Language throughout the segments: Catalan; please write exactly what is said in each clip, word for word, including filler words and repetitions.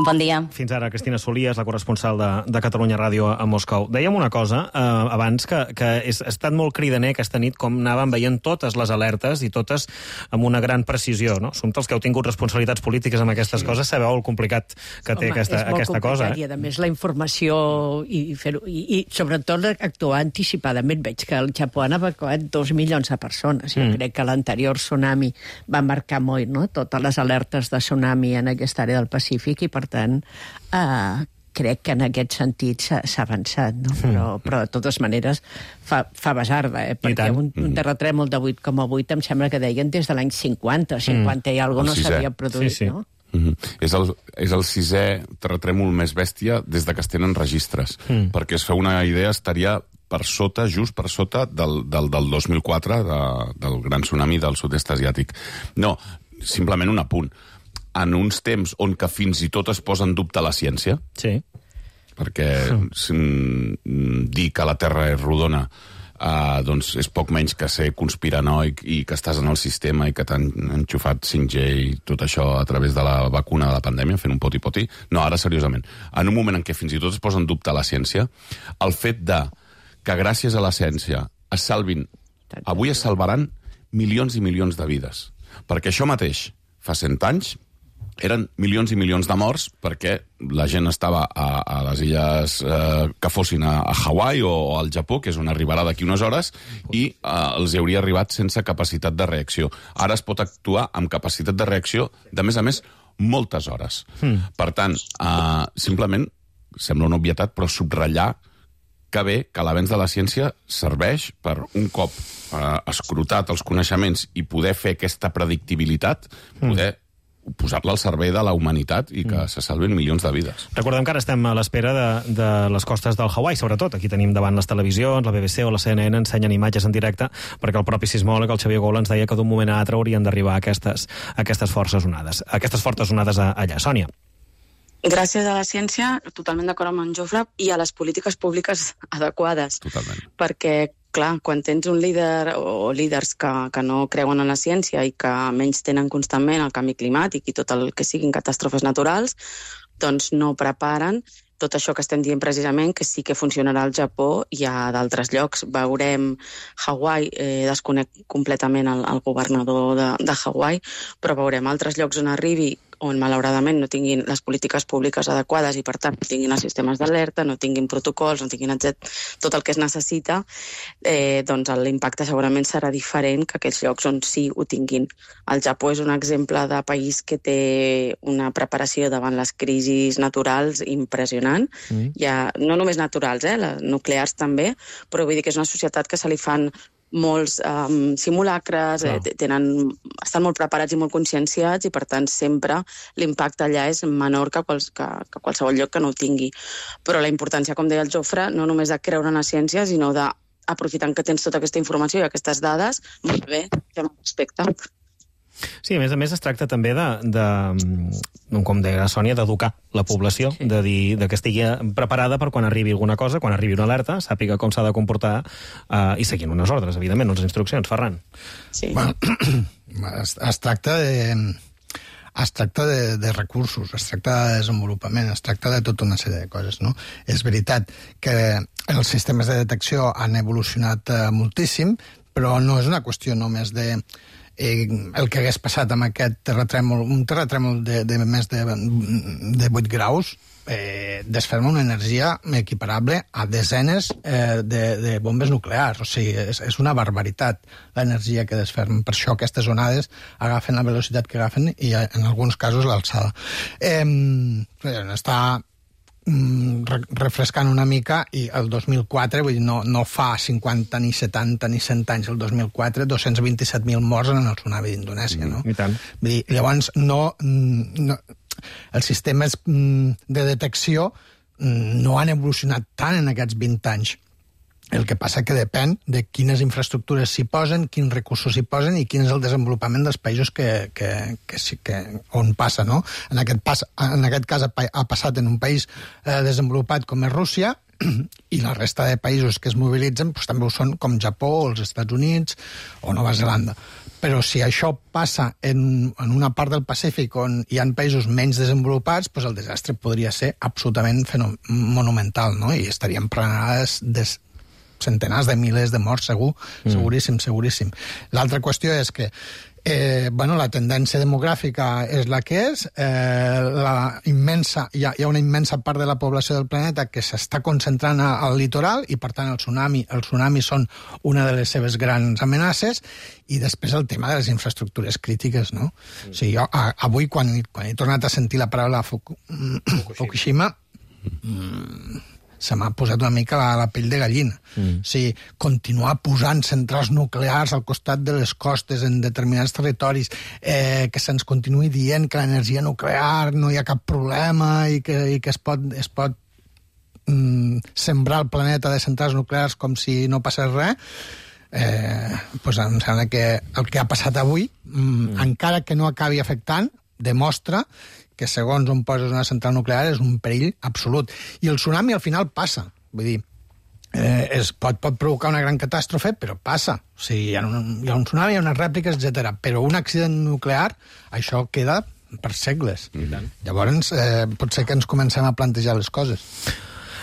Bon dia. Fins ara, Cristina Solies, la corresponsal de, de Catalunya Ràdio a Moscou. Dèiem una cosa eh, abans, que, que és, ha estat molt cridaner aquesta nit com anàvem veient totes les alertes i totes amb una gran precisió, no? Som els que heu tingut responsabilitats polítiques amb aquestes sí. coses, sabeu el complicat que té Home, aquesta, aquesta cosa. Eh? I, a més, la informació i, fer i, i sobretot actuar anticipadament. Veig que el Japó han evacuat dos milions de persones. Jo mm. crec que l'anterior tsunami va marcar molt, no?, totes les alertes de tsunami en aquesta àrea del Pacífic i, per tant, eh, crec que en aquest sentit s'ha avançat, no? Però, però de totes maneres fa, fa basarda, eh? Perquè un, un terratrèmol de vuit coma vuit em sembla que deien des de l'any cinquanta, cinquanta i alguna cosa no s'havia produït, sí, sí. no? Mm-hmm. És, el, és el sisè terratrèmol més bèstia des de que es tenen registres. Mm. Perquè es fa una idea, estaria per sota, just per sota del, del, del dos mil quatre, de, del gran tsunami del sud-est asiàtic. No, simplement un apunt. En uns temps on que fins i tot es posa en dubte la ciència, sí. perquè mm, dir que la Terra és rodona uh, doncs és poc menys que ser conspiranoic i que estàs en el sistema i que t'han enxufat cinc G i tot això a través de la vacuna de la pandèmia, fent un poti-poti. No, ara seriosament. En un moment en què fins i tot es posa en dubte la ciència, el fet de que gràcies a la ciència es salvin, avui es salvaran milions i milions de vides. Perquè això mateix, fa cent anys, eren milions i milions de morts perquè la gent estava a, a les illes eh, que fossin a, a Hawaii o al Japó, que és on arribarà d'aquí unes hores, i eh, els hauria arribat sense capacitat de reacció. Ara es pot actuar amb capacitat de reacció de, més a més, moltes hores. Mm. Per tant, eh, simplement, sembla una obvietat, però subratllar que bé que l'avenç de la ciència serveix per, un cop eh, escrutat els coneixements i poder fer aquesta predictibilitat, poder mm. posar-la al servei de la humanitat i que mm. se salven milions de vides. Recordem que ara estem a l'espera de, de les costes del Hawaii, sobretot. Aquí tenim davant les televisions, la B B C o la C N N ensenyen imatges en directe, perquè el propi sismòleg, el Xavier Goula, ens deia que d'un moment a altre haurien d'arribar aquestes, aquestes forces onades. Aquestes fortes onades allà. Sònia. Gràcies a la ciència, totalment d'acord amb en Jofre, i a les polítiques públiques adequades. Totalment. Perquè, clar, quan tens un líder o líders que, que no creuen en la ciència i que menys tenen constantment el canvi climàtic i tot el que siguin catàstrofes naturals, doncs no preparen tot això que estem dient precisament, que sí que funcionarà al Japó i a d'altres llocs. Veurem Hawaii, eh, desconec completament el, el governador de, de Hawaii, però veurem altres llocs on arribi on malauradament no tinguin les polítiques públiques adequades i, per tant, no tinguin els sistemes d'alerta, no tinguin protocols, no tinguin tot el que es necessita, eh, doncs l'impacte segurament serà diferent que aquells llocs on sí ho tinguin. El Japó és un exemple de país que té una preparació davant les crisis naturals impressionant, mm. ja, no només naturals, eh, les nuclears també, però vull dir que és una societat que se li fan molts um, simulacres, eh, tenen, estan molt preparats i molt conscienciats i, per tant, sempre l'impacte allà és menor que, quals, que, que qualsevol lloc que no ho tingui. Però la importància, com deia el Jofre, no només de creure en la ciència, sinó de, aprofitant que tens tota aquesta informació i aquestes dades, molt bé, fem un respecte. Sí, a més a més es tracta també de, de com deia la Sònia, d'educar la població, sí. de dir de que estigui preparada per quan arribi alguna cosa, quan arribi una alerta, sàpiga com s'ha de comportar eh, i seguint unes ordres, evidentment, unes instruccions. Ferran. Sí. Bueno, es, es tracta de... Es tracta de, de recursos, es tracta de desenvolupament, es tracta de tota una sèrie de coses, no? És veritat que els sistemes de detecció han evolucionat eh, moltíssim, però no és una qüestió només de eh, el que hagués passat amb aquest terratrèmol, un terratrèmol de, de més de, de vuit graus, eh, desferma una energia equiparable a desenes eh, de, de bombes nuclears. O sigui, és, és una barbaritat l'energia que desfermen. Per això aquestes onades agafen la velocitat que agafen i, en alguns casos, l'alçada. Eh, està refrescant una mica, i el dos mil quatre, vull dir, no, no fa cinquanta, ni setanta, ni cent anys, el dos mil quatre, dos-cents vint-i-set mil morts en el tsunami d'Indonèsia, no? I tant. Vull dir, llavors, no, no, els sistemes de detecció no han evolucionat tant en aquests vint anys. El que passa que depèn de quines infraestructures s'hi posen, quins recursos s'hi posen i quin és el desenvolupament dels països que, que, que, que, on passa, no? En aquest, pas, en aquest cas ha passat en un país eh, desenvolupat com és Rússia, i la resta de països que es mobilitzen doncs, també ho són, com Japó, o els Estats Units o Nova Zelanda. Però si això passa en, en una part del Pacífic on hi ha països menys desenvolupats, doncs el desastre podria ser absolutament monumental, no? I estaríem parlant de centenars de milers de morts, segur, mm. seguríssim, seguríssim. L'altra qüestió és que Eh, bueno, la tendència demogràfica és la que és, eh, la immensa, hi ha, hi ha una immensa part de la població del planeta que s'està concentrant al litoral i, per tant, el tsunami, el tsunami són una de les seves grans amenaces, i després el tema de les infraestructures crítiques, no? Mm. O sigui, jo, a, avui, quan, quan he tornat a sentir la paraula Fuku, Fukushima, mm, se m'ha posat una mica la, la pell de gallina. Mm. O sigui, continuar posant centrals nuclears al costat de les costes en determinats territoris, eh, que se'ns continuï dient que l'energia nuclear no hi ha cap problema i que, i que es pot, es pot mm, sembrar el planeta de centrals nuclears com si no passés res, eh, doncs em sembla que el que ha passat avui, mm, mm. encara que no acabi afectant, demostra que segons on poses una central nuclear és un perill absolut. I el tsunami al final passa. Vull dir, eh, es pot, pot provocar una gran catàstrofe, però passa. O sigui, hi ha un, hi ha un tsunami, hi ha unes rèpliques, etcètera. Però un accident nuclear, això queda per segles. Mm-hmm. Llavors, eh, pot ser que ens comencem a plantejar les coses.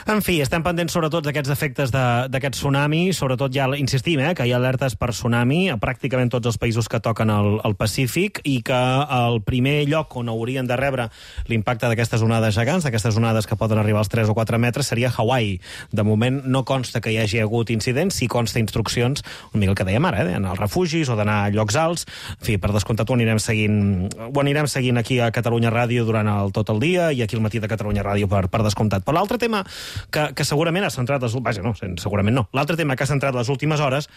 En fi, estem pendents sobretot d'aquests efectes d'aquest tsunami, sobretot ja insistim, eh, que hi ha alertes per tsunami a pràcticament tots els països que toquen el, el Pacífic, i que el primer lloc on haurien de rebre l'impacte d'aquestes onades gegants, d'aquestes onades que poden arribar als tres o quatre metres, seria Hawaii. De moment no consta que hi hagi hagut incidents, sí consta instruccions, una mica el que dèiem ara, eh, d'anar als refugis o d'anar a llocs alts. En fi, per descomptat ho anirem seguint, ho anirem seguint aquí a Catalunya Ràdio durant el, tot el dia, i aquí al matí de Catalunya Ràdio per, per descomptat. Però l'altre tema Que, que segurament ha centrat les... Vaja, no, segurament no. L'altre tema que ha centrat les últimes hores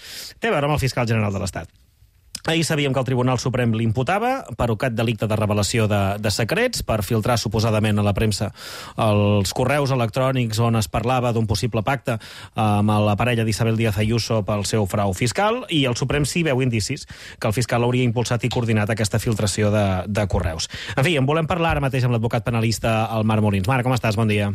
té a veure amb el fiscal general de l'Estat. Ahir sabíem que el Tribunal Suprem l'imputava per aquest delicte de revelació de, de secrets, per filtrar suposadament a la premsa els correus electrònics on es parlava d'un possible pacte amb la parella d'Isabel Díaz Ayuso pel seu frau fiscal, i el Suprem sí veu indicis que el fiscal hauria impulsat i coordinat aquesta filtració de, de correus. En fi, en volem parlar ara mateix amb l'advocat penalista el Marc Molins. Marc, com estàs? Bon dia.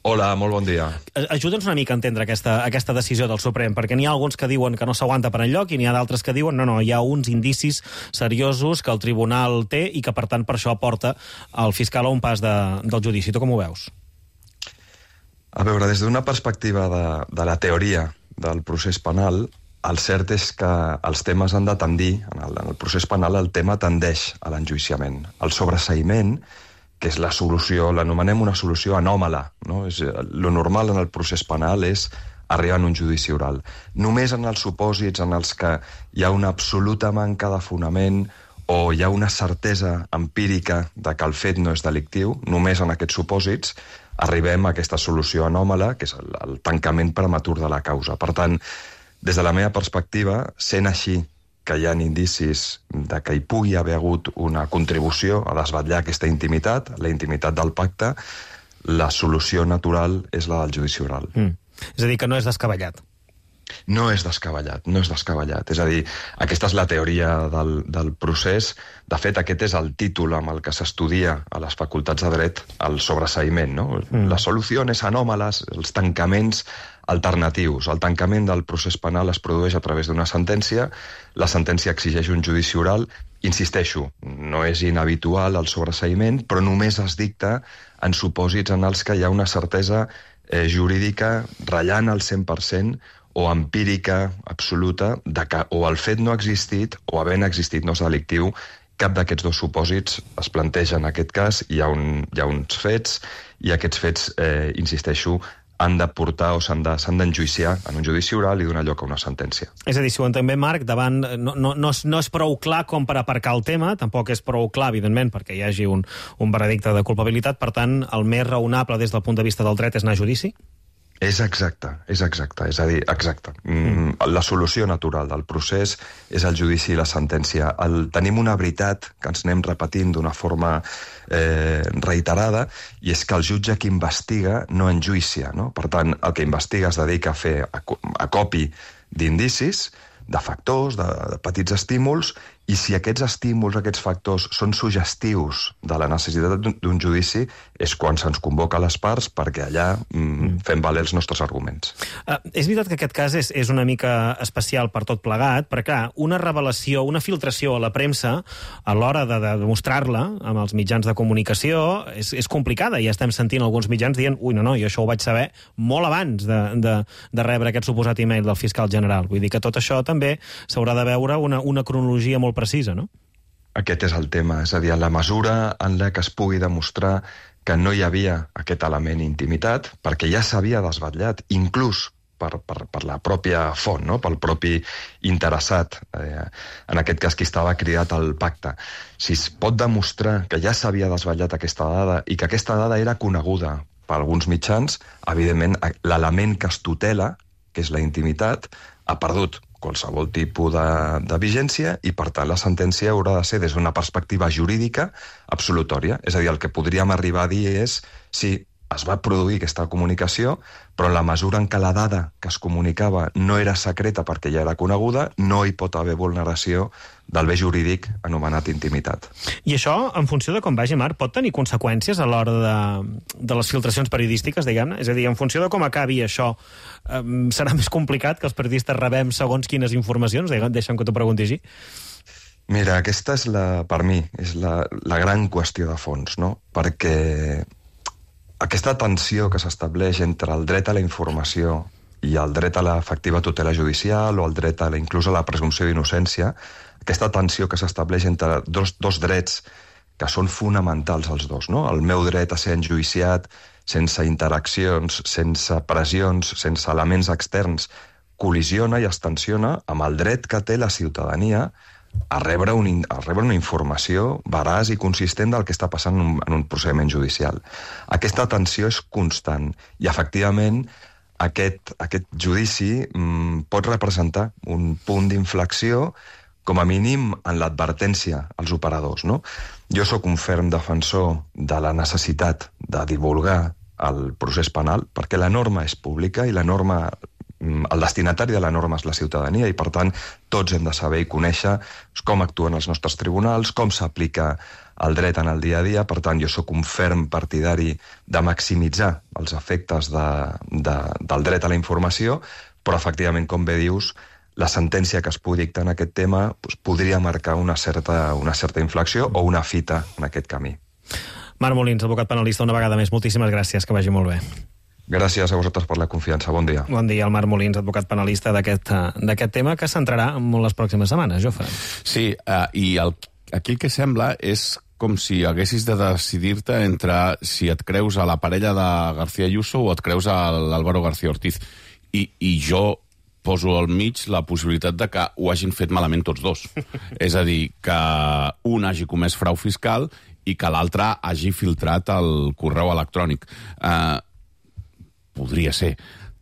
Hola, molt bon dia. Ajuda'ns una mica a entendre aquesta, aquesta decisió del Suprem, perquè n'hi ha alguns que diuen que no s'aguanta per enlloc i n'hi ha d'altres que diuen no, no, hi ha uns indicis seriosos que el tribunal té i que, per tant, per això porta el fiscal a un pas de, del judici. Tu com ho veus? A veure, des d'una perspectiva de, de la teoria del procés penal, el cert és que els temes han de tendir, en el, en el procés penal el tema tendeix a l'enjuiciament. El sobreseïment, que és la solució, l'anomenem una solució anòmala, no? És, lo normal en el procés penal és arribar en un judici oral. Només en els supòsits en els que hi ha una absoluta manca de fonament o hi ha una certesa empírica de que el fet no és delictiu, només en aquests supòsits arribem a aquesta solució anòmala, que és el, el tancament prematur de la causa. Per tant, des de la meva perspectiva, sent així que hi ha indicis de que hi pugui haver hagut una contribució a desvetllar aquesta intimitat, la intimitat del pacte, la solució natural és la del judici oral. Mm. És a dir, que no és descabellat. No és descabellat, no és descabellat. És a dir, aquesta és la teoria del, del procés. De fet, aquest és el títol amb el que s'estudia a les facultats de dret, el sobreseïment, no? Mm. Les solucions anòmales, els tancaments alternatius. El tancament del procés penal es produeix a través d'una sentència, la sentència exigeix un judici oral. Insisteixo, no és inhabitual el sobreseïment, però només es dicta en supòsits en els que hi ha una certesa eh, jurídica ratllant al cent per cent o empírica absoluta de que o el fet no ha existit o havent existit no és delictiu. Cap d'aquests dos supòsits es planteja en aquest cas. Hi ha, un, hi ha uns fets i aquests fets, eh, insisteixo, han de portar o s'han d'enjuiciar en un judici oral i donar lloc a una sentència. És a dir, si ho entenc bé, Marc, davant no, no, no, és, no és prou clar com per aparcar el tema, tampoc és prou clar, evidentment, perquè hi hagi un, un veredicte de culpabilitat, per tant, el més raonable des del punt de vista del dret és anar a judici? És exacte, és exacte, és a dir, exacte. Mm. La solució natural del procés és el judici i la sentència. El, tenim una veritat que ens anem repetint d'una forma eh, reiterada, i és que el jutge que investiga no enjuicia, no? Per tant, el que investiga es dedica a fer acopi d'indicis, de factors, de, de petits estímuls, I si aquests estímuls, aquests factors, són suggestius de la necessitat d'un judici, és quan se'ns convoca a les parts perquè allà mm, fem valer els nostres arguments. Uh, és veritat que aquest cas és, és una mica especial per tot plegat, perquè, clar, una revelació, una filtració a la premsa, a l'hora de, de demostrar-la amb els mitjans de comunicació, és, és complicada. Ja estem sentint alguns mitjans dient ui, no, no, jo això ho vaig saber molt abans de, de, de rebre aquest suposat e-mail del fiscal general. Vull dir que tot això també s'haurà de veure una, una cronologia molt precisa, no? Aquest és el tema, és a dir, la mesura en la que es pugui demostrar que no hi havia aquest element intimitat, perquè ja s'havia desvetllat, inclús per, per, per la pròpia font, no? Pel propi interessat, eh, en aquest cas qui estava cridat al pacte. Si es pot demostrar que ja s'havia desvetllat aquesta dada i que aquesta dada era coneguda per alguns mitjans, evidentment l'element que es tutela, que és la intimitat, ha perdut qualsevol tipus de, de vigència i, per tant, la sentència haurà de ser, des d'una perspectiva jurídica, absolutòria. És a dir, el que podríem arribar a dir és si es va produir aquesta comunicació, però en la mesura en què la dada que es comunicava no era secreta perquè ja era coneguda, no hi pot haver vulneració del bé jurídic anomenat intimitat. I això, en funció de com vagi, Marc, pot tenir conseqüències a l'hora de, de les filtracions periodístiques, diguem-ne? És a dir, en funció de com acabi això, eh, serà més complicat que els periodistes rebem segons quines informacions? Deixa'm que t'ho pregunti així. Mira, aquesta és, la, per mi, és la, la gran qüestió de fons, no? Perquè aquesta tensió que s'estableix entre el dret a la informació i el dret a l'efectiva tutela judicial o el dret a la, inclús a la presumpció d'innocència, aquesta tensió que s'estableix entre dos, dos drets que són fonamentals els dos, no? El meu dret a ser enjuiciat sense interaccions, sense pressions, sense elements externs, col·lisiona i es tensiona amb el dret que té la ciutadania a rebre, un, a rebre una informació veraç i consistent del que està passant en un, en un procediment judicial. Aquesta tensió és constant i, efectivament, aquest, aquest judici mm, pot representar un punt d'inflexió, com a mínim en l'advertència als operadors, no? Jo sóc un ferm defensor de la necessitat de divulgar el procés penal, perquè la norma és pública i la norma, el destinatari de la norma és la ciutadania i, per tant, tots hem de saber i conèixer com actuen els nostres tribunals, com s'aplica el dret en el dia a dia. Per tant, jo sóc un ferm partidari de maximitzar els efectes de, de, del dret a la informació, però, efectivament, com bé dius, la sentència que es pugui dictar en aquest tema doncs, podria marcar una certa, una certa inflexió o una fita en aquest camí. Marc Molins, advocat penalista, una vegada més. Moltíssimes gràcies, que vagi molt bé. Gràcies a vosaltres per la confiança. Bon dia. Bon dia, el Marc Molins, advocat penalista d'aquest d'aquest tema que s'entrarà en les pròximes setmanes, Jofre. Sí, uh, i el, aquí el que sembla és com si haguessis de decidir-te entre si et creus a la parella de García Ayuso o et creus a l'Álvaro García Ortiz. I, i jo poso al mig la possibilitat de que ho hagin fet malament tots dos. És a dir, que un hagi comès frau fiscal i que l'altre hagi filtrat el correu electrònic. Eh... Uh, Podria ser.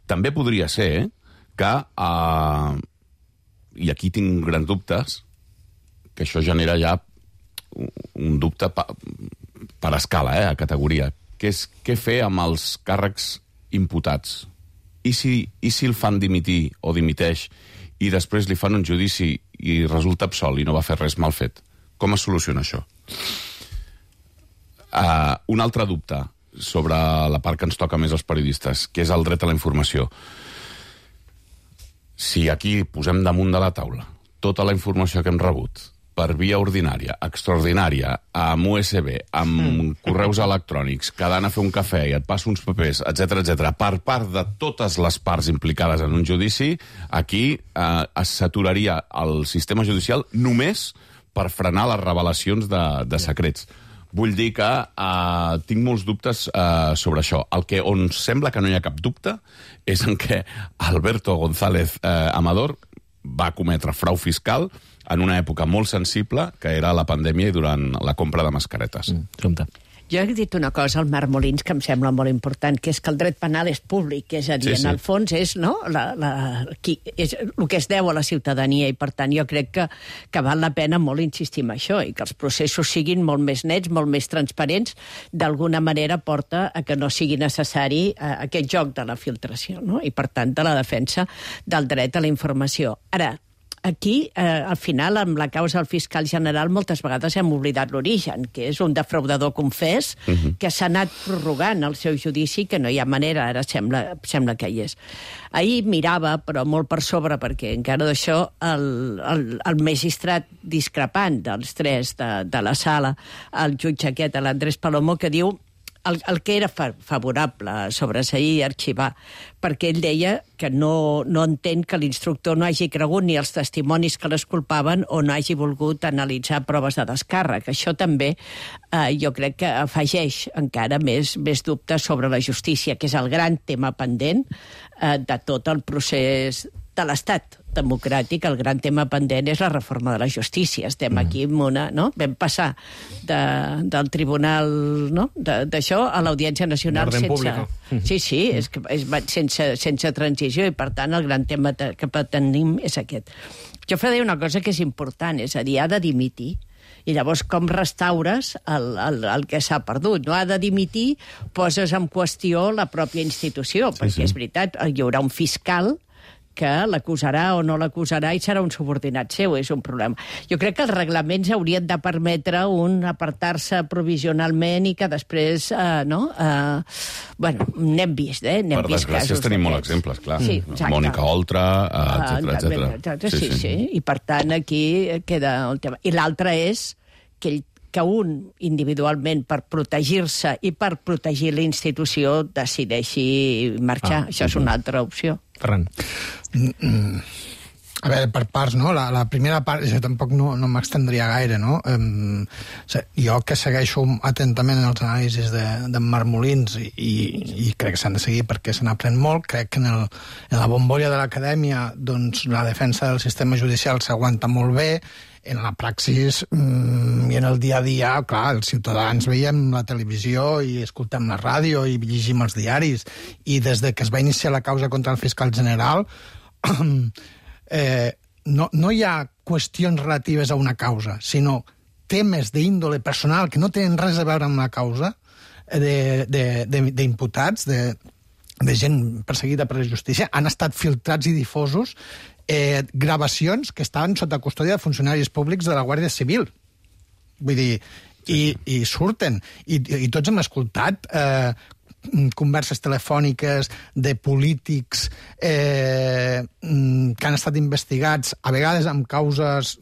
També podria ser eh, que, uh, i aquí tinc grans dubtes, que això genera ja un dubte pa, per escala, eh, a categoria, que és què fer amb els càrrecs imputats. I si, i si el fan dimitir o dimiteix i després li fan un judici i resulta absolt i no va fer res mal fet? Com es soluciona això? Uh, un altre dubte sobre la part que ens toca més als periodistes, que és el dret a la informació. Si aquí posem damunt de la taula tota la informació que hem rebut per via ordinària, extraordinària, amb U S B, amb mm. correus electrònics, quedant a fer un cafè i et passa uns papers, etcètera, etcètera, per part de totes les parts implicades en un judici, aquí eh, es saturaria el sistema judicial només per frenar les revelacions de, de secrets. Vull dir que uh, tinc molts dubtes uh, sobre això. El que on sembla que no hi ha cap dubte és en què Alberto González uh, Amador va cometre frau fiscal en una època molt sensible, que era la pandèmia i durant la compra de mascaretes. Mm, Jo he dit una cosa al Marc Molins que em sembla molt important, que és que el dret penal és públic, és a dir, sí, sí. en el fons és, no, la, la, qui, és el que es deu a la ciutadania, i per tant jo crec que, que val la pena molt insistir en això, i que els processos siguin molt més nets, molt més transparents, d'alguna manera porta a que no sigui necessari eh, aquest joc de la filtració, no? I per tant de la defensa del dret a la informació. Ara, aquí, eh, al final, amb la causa del fiscal general, moltes vegades hem oblidat l'origen, que és un defraudador confés uh -huh. que s'ha anat prorrogant el seu judici, que no hi ha manera, ara sembla, sembla que hi és. Ahir mirava, però molt per sobre, perquè encara d'això, el, el, el magistrat discrepant dels tres de, de la sala, el jutge aquest, l'Andrés Palomo, que diu El, el que era fa, favorable sobreseir i arxivar, perquè ell deia que no, no entén que l'instructor no hagi cregut ni els testimonis que l'esculpaven o no hagi volgut analitzar proves de descàrrec. Això també eh, jo crec que afegeix encara més, més dubtes sobre la justícia, que és el gran tema pendent eh, de tot el procés de l'Estat democràtic. El gran tema pendent és la reforma de la justícia. Estem mm. aquí amb una... No? Vam passar de, del tribunal, no? d'això a l'Audiència Nacional sense... Sí, sí, és que és, sense, sense transició, i per tant el gran tema que tenim és aquest. Jo faré una cosa que és important, és a dir, ha de dimitir, i llavors com restaures el, el, el que s'ha perdut. No ha de dimitir, poses en qüestió la pròpia institució, sí, perquè sí. És veritat, hi haurà un fiscal que l'acusarà o no l'acusarà i serà un subordinat seu, és un problema. Jo crec que els reglaments haurien de permetre un apartar-se provisionalment i que després, eh, no? Eh, bueno, n'hem vist, eh? N'hem per vist desgràcia tenim molts exemples, clar. Sí, Mònica Oltra, etcètera, etcètera. Sí, sí, sí, i per tant aquí queda el tema. I l'altre és que ell que un, individualment, per protegir-se i per protegir la institució, decideixi marxar. Ah, Això és una altra opció. Ferran. Mm, mm. A veure, per parts, no? La, la primera part, jo tampoc no, no m'extendria gaire, no? Um, jo que segueixo atentament els anàlisis de, de Marc Molins i, i, i crec que s'han de seguir perquè se n'aprèn molt, crec que en, el, en la bombolla de l'acadèmia doncs, la defensa del sistema judicial s'aguanta molt bé, en la praxis mmm, i en el dia a dia, clar, els ciutadans veiem la televisió i escoltem la ràdio i llegim els diaris, i des de que es va iniciar la causa contra el fiscal general eh, no, no hi ha qüestions relatives a una causa, sinó temes d'índole personal que no tenen res a veure amb la causa, d'imputats, de, de, de, de gent perseguida per la justícia, han estat filtrats i difosos Eh, gravacions que estaven sota custòdia de funcionaris públics de la Guàrdia Civil. Vull dir, i, i surten. I, i tots hem escoltat eh, converses telefòniques de polítics eh, que han estat investigats, a vegades amb causes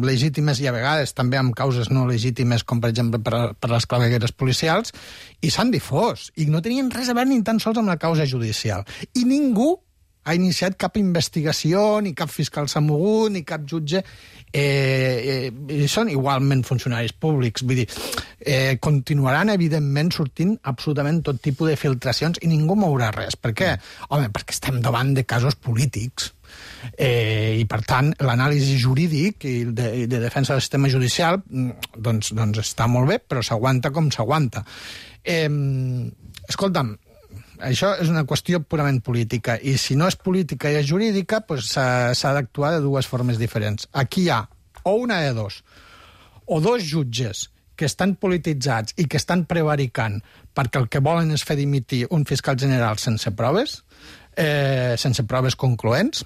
legítimes i a vegades també amb causes no legítimes, com per exemple per, per les clavegueres policials, i s'han difós. I no tenien res a veure ni tan sols amb la causa judicial. I ningú ha iniciat cap investigació, ni cap fiscal s'ha mogut, ni cap jutge. Eh, eh, són igualment funcionaris públics. Vull dir, eh, continuaran, evidentment, sortint absolutament tot tipus de filtracions i ningú mourà res. Per què? Home, perquè estem davant de casos polítics. Eh, I, per tant, l'anàlisi jurídic i de, de defensa del sistema judicial doncs, doncs està molt bé, però s'aguanta com s'aguanta. Eh, escolta'm, això és una qüestió purament política, i si no és política i és jurídica, doncs s'ha d'actuar de dues formes diferents. Aquí hi ha o una de dos, o dos jutges que estan polititzats i que estan prevaricant perquè el que volen és fer dimitir un fiscal general sense proves, eh, sense proves concloents,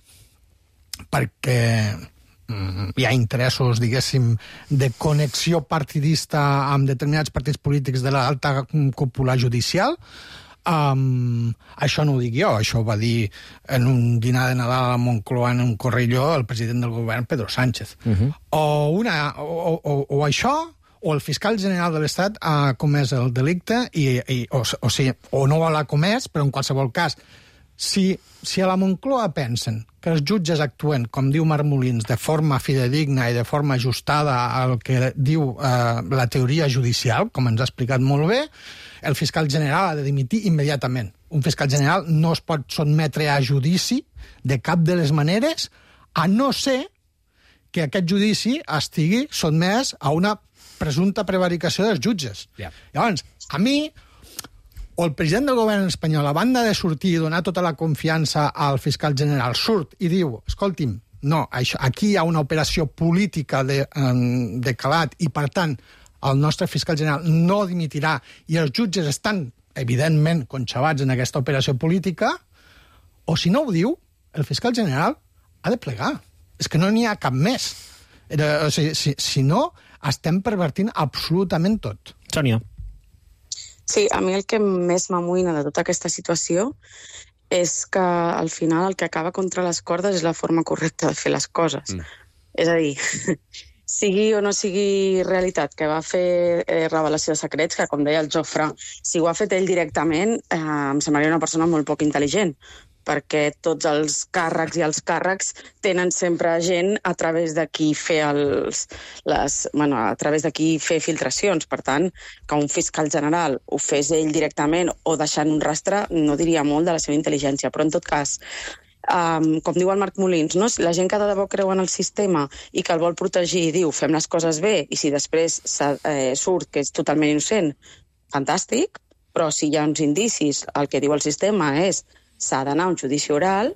perquè mm, hi ha interessos, diguéssim, de connexió partidista amb determinats partits polítics de l'alta cúpula judicial. Um, això no ho dic jo, això ho va dir en un dinar de Nadal a Moncloa en un correlló el president del govern, Pedro Sánchez. Uh-huh. o, una, o, o, o això, o el fiscal general de l'Estat ha comès el delicte, i, i, o, o, sigui, o no l'ha comès, però en qualsevol cas, si, si a la Moncloa pensen que els jutges actuen, com diu Marc Molins, de forma fidedigna i de forma ajustada al que diu eh, la teoria judicial, com ens ha explicat molt bé, el fiscal general ha de dimitir immediatament. Un fiscal general no es pot sotmetre a judici de cap de les maneres, a no ser que aquest judici estigui sotmès a una presumpta prevaricació dels jutges. Yeah. Llavors, a mi, o el president del govern espanyol, a banda de sortir i donar tota la confiança al fiscal general, surt i diu, escolti'm, no, això, aquí hi ha una operació política de, de calat i, per tant, el nostre fiscal general no dimitirà i els jutges estan, evidentment, conxabats en aquesta operació política, o si no ho diu, el fiscal general ha de plegar. És que no n'hi ha cap més. Era, o sigui, si, si no, estem pervertint absolutament tot. Sònia. Sí, a mi el que més m'amoïna de tota aquesta situació és que al final el que acaba contra les cordes és la forma correcta de fer les coses. Mm. És a dir, sigui o no sigui realitat que va fer eh, revelació de secrets, que com deia el Jofre, si ho ha fet ell directament, eh, em semblaria una persona molt poc intel·ligent, perquè tots els càrrecs i els càrrecs tenen sempre gent a través de qui fer els, les, bueno, a través de qui fer filtracions. Per tant, que un fiscal general ho fes ell directament o deixant un rastre, no diria molt de la seva intel·ligència, però en tot cas, um, com diu el Marc Molins, no? La gent que de debò creu en el sistema i que el vol protegir i diu fem les coses bé, i si després eh, surt que és totalment innocent, fantàstic, però si hi ha uns indicis, el que diu el sistema és s'ha d'anar a un judici oral,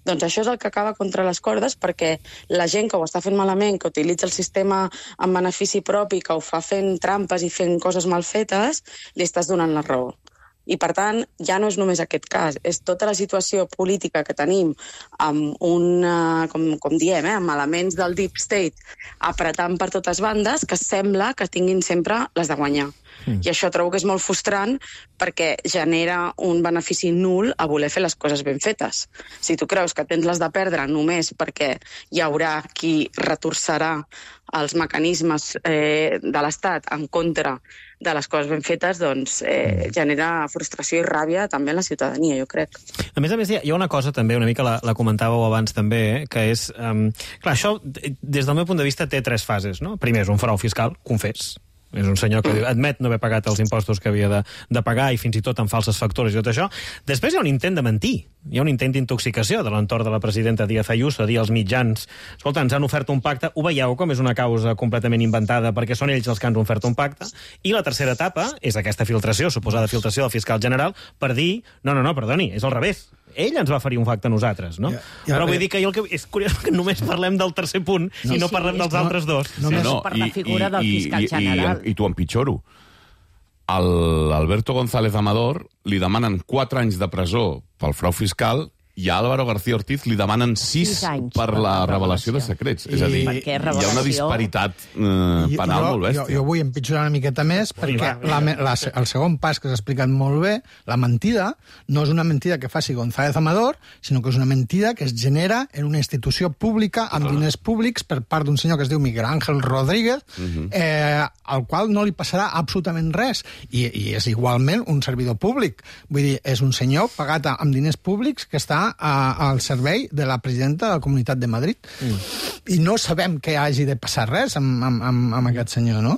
doncs això és el que acaba contra les cordes, perquè la gent que ho està fent malament, que utilitza el sistema en benefici propi, que ho fa fent trampes i fent coses mal fetes, li estàs donant la raó. I, per tant, ja no és només aquest cas, és tota la situació política que tenim amb un, com, com diem, eh, amb elements del deep state apretant per totes bandes, que sembla que tinguin sempre les de guanyar. Mm. I això trobo que és molt frustrant perquè genera un benefici nul a voler fer les coses ben fetes. Si tu creus que tens les de perdre només perquè hi haurà qui retorçarà els mecanismes eh, de l'Estat en contra de les coses ben fetes, doncs eh, genera frustració i ràbia també en la ciutadania, jo crec. A més a més, hi ha una cosa també, una mica la, la comentàveu abans també, eh, que és... Um, clar, això, des del meu punt de vista, té tres fases, no? Primer, és un frau fiscal, confés. És un senyor que admet no haver pagat els impostos que havia de, de pagar i fins i tot amb falses factures i tot això. Després hi ha un intent de mentir. Hi ha un intent d'intoxicació de l'entorn de la presidenta Díaz Ayuso, a dir als mitjans, escolta, ens han ofert un pacte, ho veieu com és una causa completament inventada perquè són ells els que han ofert un pacte. I la tercera etapa és aquesta filtració, suposada filtració del fiscal general, per dir, no, no, no, perdoni, és al revés. Ell ens va oferir un pacte a nosaltres, no? Ja, ja, Però vull ja. dir que, jo el que és curiós que només parlem del tercer punt no, i no sí, parlem dels no, altres dos. No, només sí, no, per la figura i, del fiscal i, general. I, i, i tu empitjoro. Al Alberto González Amador li demanen quatre anys de presó pel frau fiscal i a Álvaro García Ortiz li demanen sis per la revelació de secrets. I, és a dir, hi ha una disparitat eh, penal jo, molt bèstia. Jo, jo vull empitjorar una miqueta més, perquè va, la, la, el segon pas que s'ha explicat molt bé, la mentida, no és una mentida que faci González Amador, sinó que és una mentida que es genera en una institució pública amb diners públics per part d'un senyor que es diu Miguel Ángel Rodríguez, uh-huh. eh, al qual no li passarà absolutament res. I, i és igualment un servidor públic. Vull dir, és un senyor pagat amb diners públics que està A, al servei de la presidenta de la Comunitat de Madrid. Mm. I no sabem que hagi de passar res amb, amb, amb, amb aquest senyor, no?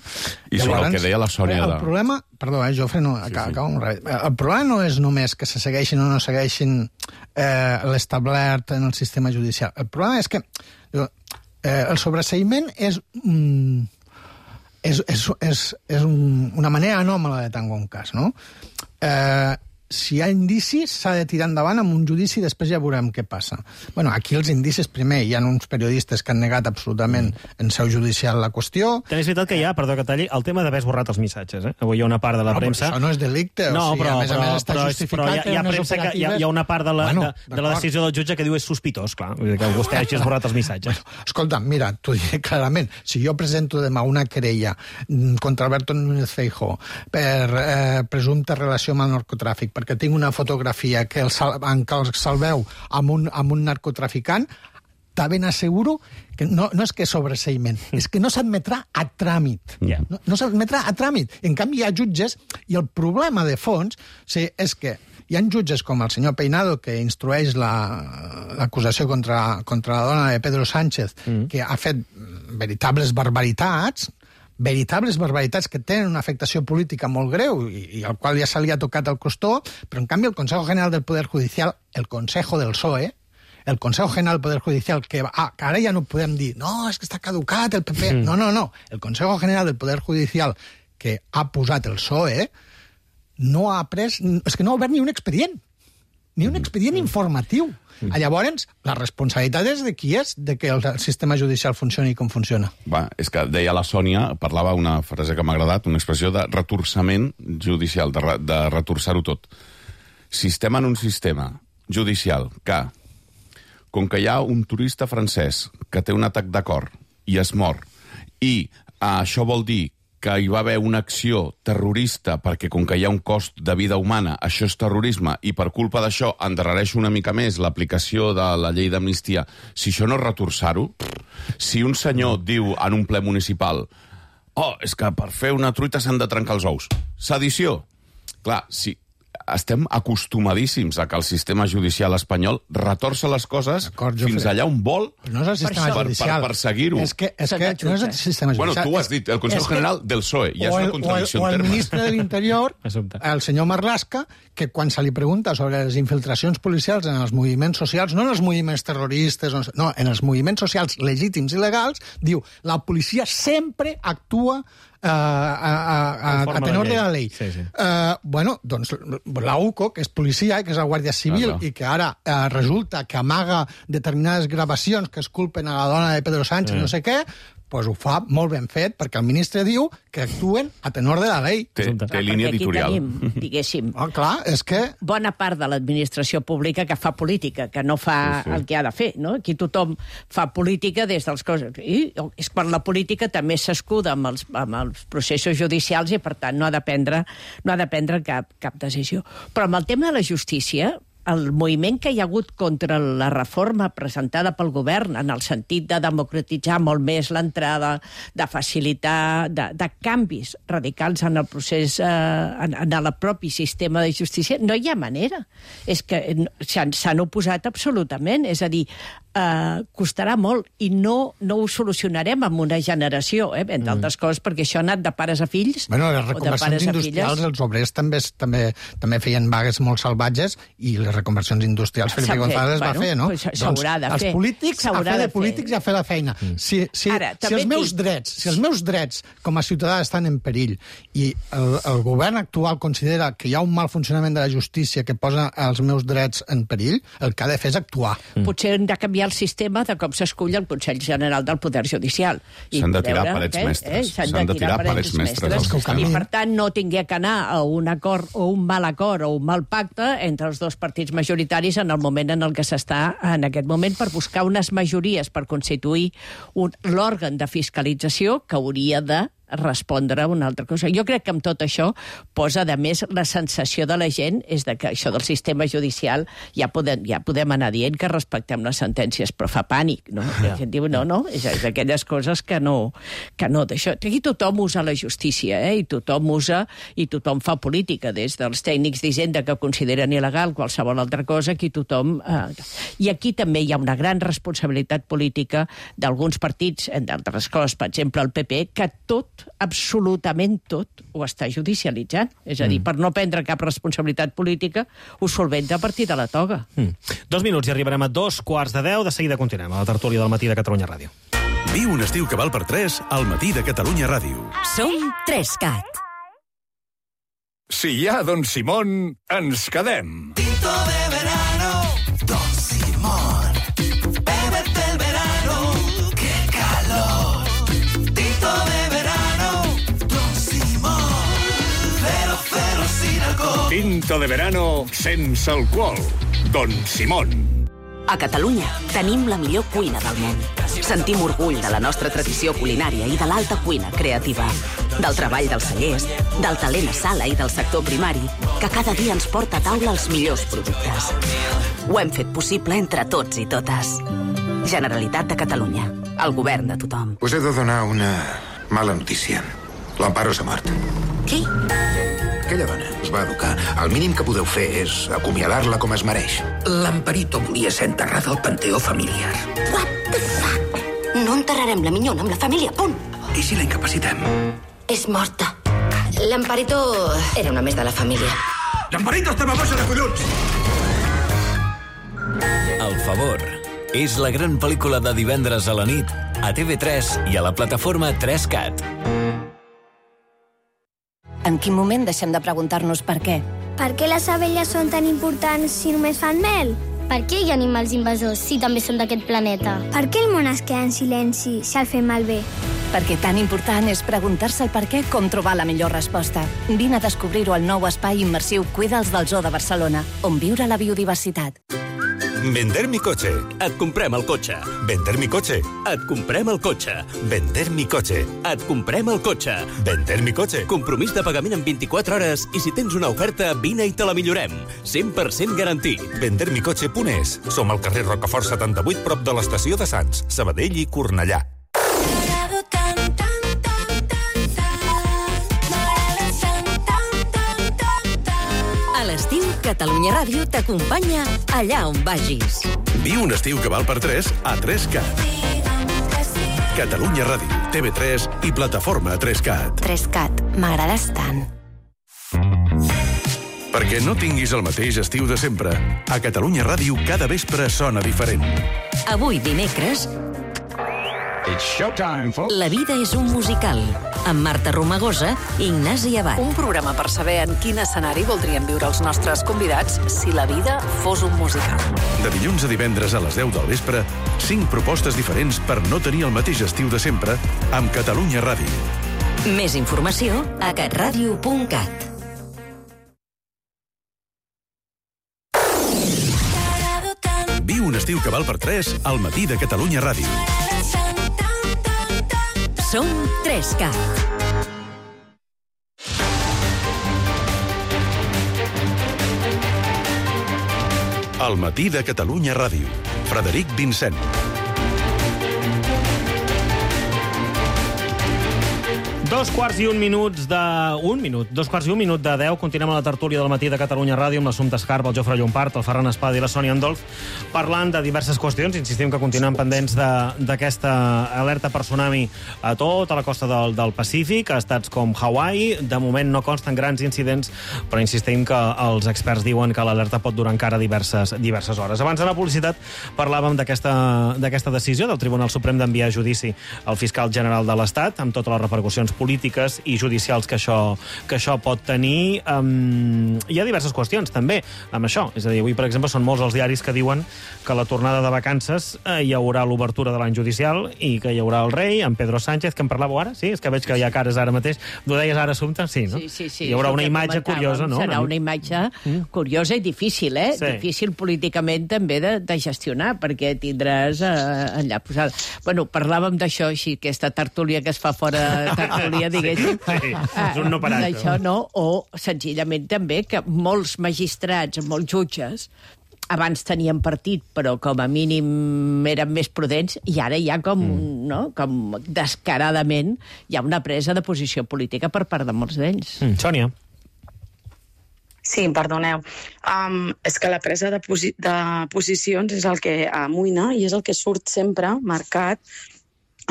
I sobre Llavors, el que deia la Sònia... El de... problema... Perdó, eh, Jofre, no, sí, acaba, sí. acaba un ràpid. El problema no és només que se segueixin o no segueixin eh, l'establert en el sistema judicial. El problema és que eh, el sobreseïment és... Mm, és, és, és, és un, una manera anòmala de tancar un cas, no? Eh... Si hi ha indicis, s'ha de tirar endavant amb un judici i després ja veurem què passa. Bueno, aquí els indicis, primer, hi ha uns periodistes que han negat absolutament en seu judicial la qüestió. També és veritat que hi ha, perdó que talli, el tema d'haver esborrat els missatges. Eh? Avui hi ha una part de la no, premsa... Això no és delicte, no, o sigui, però, a més però, a més està però, justificat però hi ha, hi ha premsa que hi ha, hi ha una part de la, bueno, de, de la decisió del jutge que diu és sospitós, clar, vull dir que vostè hagi esborrat els missatges. Bueno, escolta, mira, t'ho diré clarament, si jo presento demà una querella contra Alberto Núñez Feijóo per eh, presumpta relació amb el narcotràfic, perquè tinc una fotografia que el, en què el salveu amb un, amb un narcotraficant, te ben asseguro que no, no és que sobreseïment, és que no s'admetrà a tràmit. Yeah. No, no s'admetrà a tràmit. En canvi, hi ha jutges, i el problema de fons sí, és que hi ha jutges com el senyor Peinado, que instrueix l'acusació la, contra, contra la dona de Pedro Sánchez, mm. que ha fet veritables barbaritats, veritables barbaritats que tenen una afectació política molt greu i, i al qual ja se li ha tocat el costó, però en canvi el Consejo General del Poder Judicial, el Consejo del P S O E, el Consejo General del Poder Judicial, que, ah, que ara ja no podem dir no, és que està caducat el P P, mm. no, no, no, el Consejo General del Poder Judicial que ha posat el P S O E no ha pres, és que no ha obert ni un expedient, ni un expedient mm. informatiu. Mm. Llavors, la responsabilitat és de qui és de que el sistema judicial funcioni com funciona. Va, és que deia la Sònia, parlava una frase que m'ha agradat, una expressió de retorçament judicial, de, re, de retorçar-ho tot. Si estem en un sistema judicial que com que hi ha un turista francès que té un atac de cor i es mor, i uh, això vol dir que hi va haver una acció terrorista perquè com que hi ha un cost de vida humana, això és terrorisme, i per culpa d'això endarrereix una mica més l'aplicació de la llei d'amnistia, si això no és retorçar-ho, si un senyor diu en un ple municipal oh, és que per fer una truita s'han de trencar els ous. Sedició. Clar, si estem acostumadíssims a que el sistema judicial espanyol retorça les coses fins allà on vol no és el sistema per, judicial. per, per seguir-ho. És que, és que no és el sistema judicial. Bueno, tu ho has dit, el Consejo General del P S O E, ja és una contradicció en termes. O el ministre de l'Interior, el senyor Marlaska, que quan se li pregunta sobre les infiltracions policials en els moviments socials, no en els moviments terroristes, no, en els moviments socials legítims i legals, diu, la policia sempre actua Uh, a, a, a, a tenor de la llei. Sí, sí. Uh, bueno, doncs la U C O, que és policia, que és la Guàrdia Civil, ah, no. i que ara uh, resulta que amaga determinades gravacions que es culpen a la dona de Pedro Sánchez, mm. no sé què, doncs ho fa molt ben fet, perquè el ministre diu que actuen a tenor de la llei. Té, té línia editorial. Tenim, diguéssim, oh, clar, és que... bona part de l'administració pública que fa política, que no fa sí, sí. el que ha de fer, no? Aquí tothom fa política des dels coses. I és quan la política també s'escuda amb els, amb els processos judicials i, per tant, no ha de prendre, no ha de prendre cap, cap decisió. Però amb el tema de la justícia, el moviment que hi ha hagut contra la reforma presentada pel govern en el sentit de democratitzar molt més l'entrada, de facilitar, de, de canvis radicals en el procés, eh, en, en el propi sistema de justícia, no hi ha manera. És que s'han oposat absolutament. És a dir, eh, costarà molt i no, no ho solucionarem en una generació, eh, entre altres coses, perquè això ha anat de pares a fills. Bueno, les reconversions industrials, els obrers també, també, també feien vagues molt salvatges i les reconversions industrials Felipe González bueno, va fer, no? Pues s'haurà de doncs fer. Els polítics a fer de polítics i a fer la feina. Mm. Si, si, Ara, si, els meus dic... drets, si els meus drets com a ciutadà estan en perill i el, el govern actual considera que hi ha un mal funcionament de la justícia que posa els meus drets en perill, el que ha de fer és actuar. Mm. Potser hem de canviar el sistema de com s'escull el Consell General del Poder Judicial. S'han de tirar parets eh? mestres. Eh? S'han de tirar parets mestres. mestres. I, per tant, no tingui que anar a un acord o un mal acord o un mal pacte entre els dos partits majoritaris en el moment en el que s'està en aquest moment per buscar unes majories per constituir l'òrgan de fiscalització que hauria de respondre a una altra cosa. Jo crec que amb tot això posa, de més, la sensació de la gent és de que això del sistema judicial ja podem, ja podem anar dient que respectem les sentències, però fa pànic, no? La gent diu, no, no, és d'aquelles coses que no... Que no d'això. Aquí tothom usa la justícia, eh? I tothom usa, i tothom fa política, des dels tècnics d'Hisenda que consideren il·legal qualsevol altra cosa, aquí tothom... Eh... I aquí també hi ha una gran responsabilitat política d'alguns partits, entre altres coses, per exemple, el P P, que tot absolutament tot ho està judicialitzant. És a dir, mm. per no prendre cap responsabilitat política, ho solventa a partir de la toga. Mm. Dos minuts i arribarem a dos quarts de deu. De seguida continuem a la tertúlia del matí de Catalunya Ràdio. Viu un estiu que val per tres al matí de Catalunya Ràdio. Som tres-cat. Si hi ha Don Simón, ens quedem. Tinto de verano, Don Simón. Bébete el verano, qué calor. Tinto de verano, Don Simón. Cero, cero sin alcohol. Tinto de verano sense alcohol. Don Simón. A Catalunya tenim la millor cuina del món. Sentim orgull de la nostra tradició culinària i de l'alta cuina creativa. Del treball dels cellers, del talent a sala i del sector primari, que cada dia ens porta a taula els millors productes. Ho hem fet possible entre tots i totes. Generalitat de Catalunya. El govern de tothom. Us he de donar una mala notícia. L'Amparo s'ha mort. Qui? Aquella dona us va educar. El mínim que podeu fer és acomiadar-la com es mereix. L'Amparito volia ser enterrada al panteó familiar. What the fuck? No enterrarem la minyona amb la família, punt. I si la incapacitem? És morta. L'Amparito era una més de la família. L'Amparito estava boja de collons! El favor és la gran pel·lícula de divendres a la nit a T V tres i a la plataforma tres cat. En quin moment deixem de preguntar-nos per què? Per què les abelles són tan importants si només fan mel? Per què hi ha animals invasors si també són d'aquest planeta? Per què el món es queda en silenci si el fem malbé? Perquè tan important és preguntar-se el per què com trobar la millor resposta. Vine a descobrir-ho al nou espai immersiu Cuida'ls del Zoo de Barcelona, on viure la biodiversitat. Vender mi coche. Et comprem el cotxe. Vender mi coche. Et comprem el cotxe. Vender mi coche. Et comprem el cotxe. Vender mi coche. Compromís de pagament en vint-i-quatre hores i si tens una oferta, vine i te la millorem. cent per cent garantit. vender mi coche punt es. Som al carrer Rocafort setanta-vuit, prop de l'estació de Sants, Sabadell i Cornellà. A l'estiu, Catalunya Ràdio t'acompanya allà on vagis. Viu un estiu que val per tres a tres cat. Catalunya Ràdio, T V tres i plataforma tres cat. tres cat, m'agrades tant. Perquè no tinguis el mateix estiu de sempre, a Catalunya Ràdio cada vespre sona diferent. Avui, dimecres, It's showtime, folks. La vida és un musical, amb Marta Romagosa i Ignasi Abad. Un programa per saber en quin escenari voldrien viure els nostres convidats si la vida fos un musical. De dilluns a divendres a les deu del vespre, cinc propostes diferents per no tenir el mateix estiu de sempre amb Catalunya Ràdio. Més informació a catradio punt cat. Viu un estiu que val per tres al matí de Catalunya Ràdio. Som tres cat. Al matí de Catalunya Ràdio. Frederic Vincent. Dos quarts i un minuts de... Un minut. Dos quarts i un minut de deu. Continuem a la tertúlia del matí de Catalunya Ràdio amb l'Assumpta Escarp, el Jofre Llompart, el Ferran Espada i la Sònia Andolf, parlant de diverses qüestions. Insistim que continuem pendents d'aquesta alerta per tsunami a tota la costa del, del Pacífic, a estats com Hawaii. De moment no consten grans incidents, però insistim que els experts diuen que l'alerta pot durar encara diverses, diverses hores. Abans de la publicitat parlàvem d'aquesta decisió del Tribunal Suprem d'enviar a judici el fiscal general de l'Estat, amb totes les repercussions polítiques i judicials que això, que això pot tenir. Um, hi ha diverses qüestions, també, amb això. És a dir, avui, per exemple, són molts els diaris que diuen que a la tornada de vacances eh, hi haurà l'obertura de l'any judicial i que hi haurà el rei, en Pedro Sánchez, que en parlàveu ara, sí? És que veig que hi ha cares ara mateix. Ho deies ara, Assumpta? Sí, no? Sí, sí, sí. Hi haurà una imatge curiosa, no? Serà una imatge curiosa i difícil, eh? Sí. Difícil políticament també de, de gestionar, perquè tindràs eh, allà posat... Bueno, parlàvem d'això, així, aquesta tertúlia que es fa fora de tertúlia, diguéssim. Sí, és un no parat. D'això, no? O, senzillament, també, que molts magistrats, molts jutges, abans tenien partit, però com a mínim eren més prudents, i ara hi ha com, mm. no? com descaradament, hi ha una presa de posició política per part de molts d'ells. Mm. Sònia. Sí, perdoneu. Um, és que la presa de, posi de posicions és el que amoïna i és el que surt sempre marcat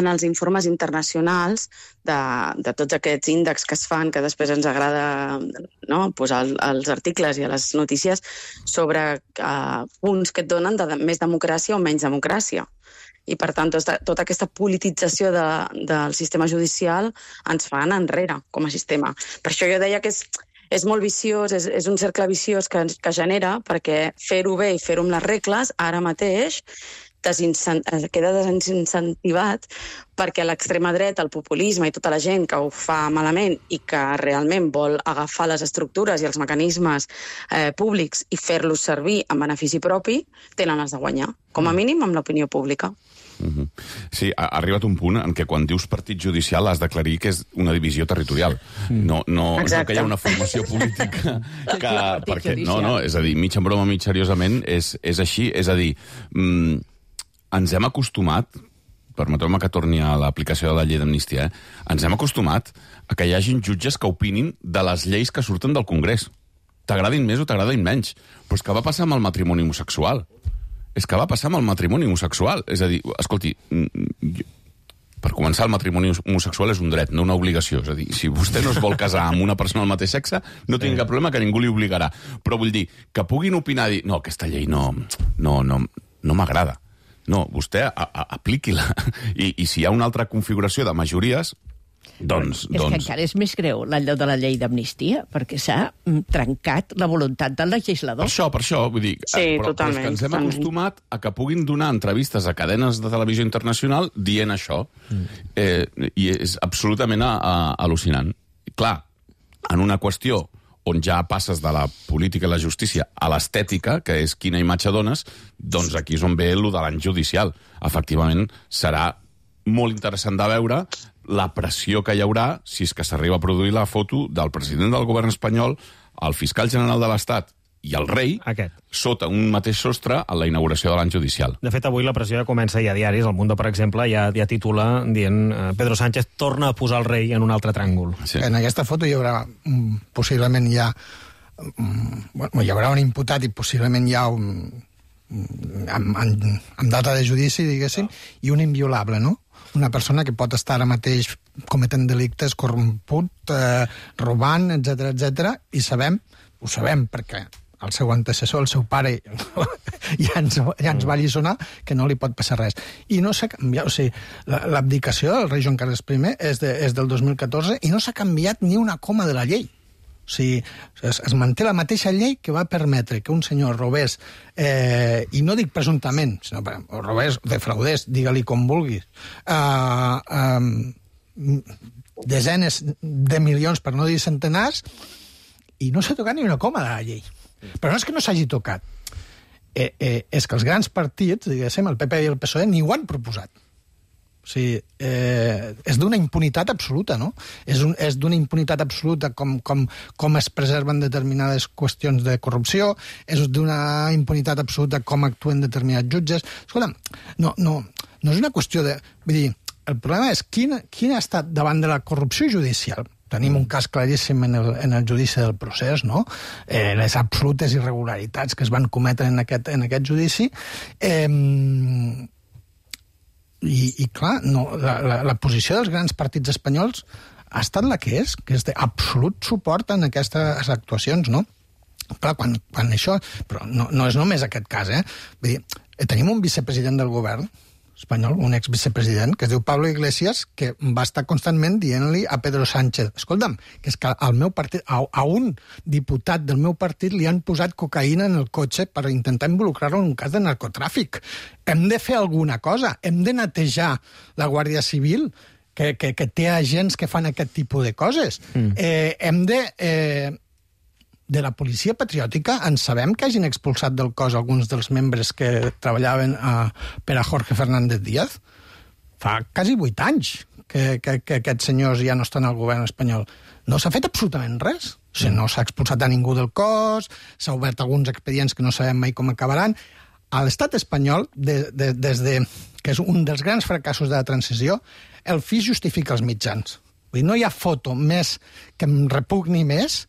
en els informes internacionals de, de tots aquests índexs que es fan, que després ens agrada no, posar els articles i a les notícies sobre uh, punts que et donen de més democràcia o menys democràcia. I, per tant, tota, tota aquesta politització de, del sistema judicial ens fa anar enrere com a sistema. Per això jo deia que és, és molt viciós, és, és un cercle viciós que, que genera, perquè fer-ho bé i fer-ho amb les regles, ara mateix, Desincent... queda desincentivat perquè l'extrema dreta, el populisme i tota la gent que ho fa malament i que realment vol agafar les estructures i els mecanismes eh, públics i fer-los servir en benefici propi, tenen els de guanyar, com a mínim amb l'opinió pública. Uh-huh. Sí, ha arribat un punt en què quan dius partit judicial has d'aclarir que és una divisió territorial. No, no, no que hi ha una formació política que... perquè, no, no, és a dir, mig en broma, mig seriosament, és, és així, és a dir... Mm, ens hem acostumat, permeteu-me que torni a l'aplicació de la llei d'amnistia, eh? ens hem acostumat a que hi hagin jutges que opinin de les lleis que surten del Congrés. T'agradin més o t'agradin menys. Però és que va passar amb el matrimoni homosexual. És que va passar amb el matrimoni homosexual. És a dir, escolti, per començar, el matrimoni homosexual és un dret, no una obligació. És a dir, si vostè no es vol casar amb una persona del mateix sexe, no tingui cap problema, que ningú li obligarà. Però vull dir, que puguin opinar i dir, no, aquesta llei no, no, no, no m'agrada. No, vostè apliqui-la. I, I si hi ha una altra configuració de majories, doncs... És doncs... que encara és més greu l'allò de la llei d'amnistia, perquè s'ha trencat la voluntat del legislador. Per això, per això, vull dir... Sí, però, totalment. Però és que ens hem totalment. acostumat a que puguin donar entrevistes a cadenes de televisió internacional dient això. Mm. Eh, I és absolutament a, a, al·lucinant. I clar, en una qüestió on ja passes de la política i la justícia a l'estètica, que és quina imatge dones, doncs aquí és on ve el de l'any judicial. Efectivament, serà molt interessant de veure la pressió que hi haurà si és que s'arriba a produir la foto del president del govern espanyol, el fiscal general de l'Estat i el rei, Aquest. sota un mateix sostre a la inauguració de l'any judicial. De fet, avui la pressió ja comença ja a diaris. El Mundo, per exemple, ja, ja titula dient eh, Pedro Sánchez torna a posar el rei en un altre tràngol. Sí. En aquesta foto hi haurà, mm, possiblement hi ha, mm, bueno, hi haurà un imputat i possiblement hi ha un, amb, amb, amb data de judici, diguéssim, i un inviolable, no? Una persona que pot estar ara mateix cometent delictes, corromput, eh, robant, etcètera, etcètera, i sabem, ho sabem perquè el seu antecessor, el seu pare, ja ens, ja ens va alliçonar que no li pot passar res. I no s'ha canviat, o sigui, l'abdicació del rei Joan Carles I és, de, és del dos mil catorze i no s'ha canviat ni una coma de la llei. O sigui, es, es manté la mateixa llei que va permetre que un senyor robés, eh, i no dic presumptament, sinó que robés, defraudés, digue-li com vulguis, eh, eh, desenes de milions, per no dir centenars, i no s'ha tocat ni una coma de la llei. Però no és que no s'hagi tocat, eh, eh, és que els grans partits, diguéssim, el P P i el P S O E, ni ho han proposat. O sigui, eh, és d'una impunitat absoluta, no? És, un, és d'una impunitat absoluta com, com, com es preserven determinades qüestions de corrupció, és d'una impunitat absoluta com actuen determinats jutges. Escolta, no, no, no és una qüestió de... Vull dir, el problema és quin, quin ha estat davant de la corrupció judicial. Tenim un cas claríssim en el, en el judici del procés, no? Eh, les absolutes irregularitats que es van cometre en aquest, en aquest judici. Eh, i, I, clar, no, la, la, la posició dels grans partits espanyols ha estat la que és, que és d'absolut suport en aquestes actuacions, no? Clar, quan, quan això... Però no, no és només aquest cas, eh? Vull dir, tenim un vicepresident del govern espanyol, un exvicepresident, que es diu Pablo Iglesias, que va estar constantment dient-li a Pedro Sánchez, escolta'm, que és que al meu partit, a, a un diputat del meu partit li han posat cocaïna en el cotxe per intentar involucrar-lo en un cas de narcotràfic. Hem de fer alguna cosa, hem de netejar la Guàrdia Civil, que, que, que té agents que fan aquest tipus de coses. Mm. Eh, hem de... Eh, de la policia patriòtica en sabem que hagin expulsat del cos alguns dels membres que treballaven a, per a Jorge Fernández Díaz. Fa quasi vuit anys que, que, que aquests senyors ja no estan al govern espanyol. No s'ha fet absolutament res. O sigui, no s'ha expulsat a ningú del cos, s'ha obert alguns expedients que no sabem mai com acabaran. A l'estat espanyol, de, de, des de, que és un dels grans fracassos de la transició, el fi justifica els mitjans. Vull dir, no hi ha foto més que em repugni més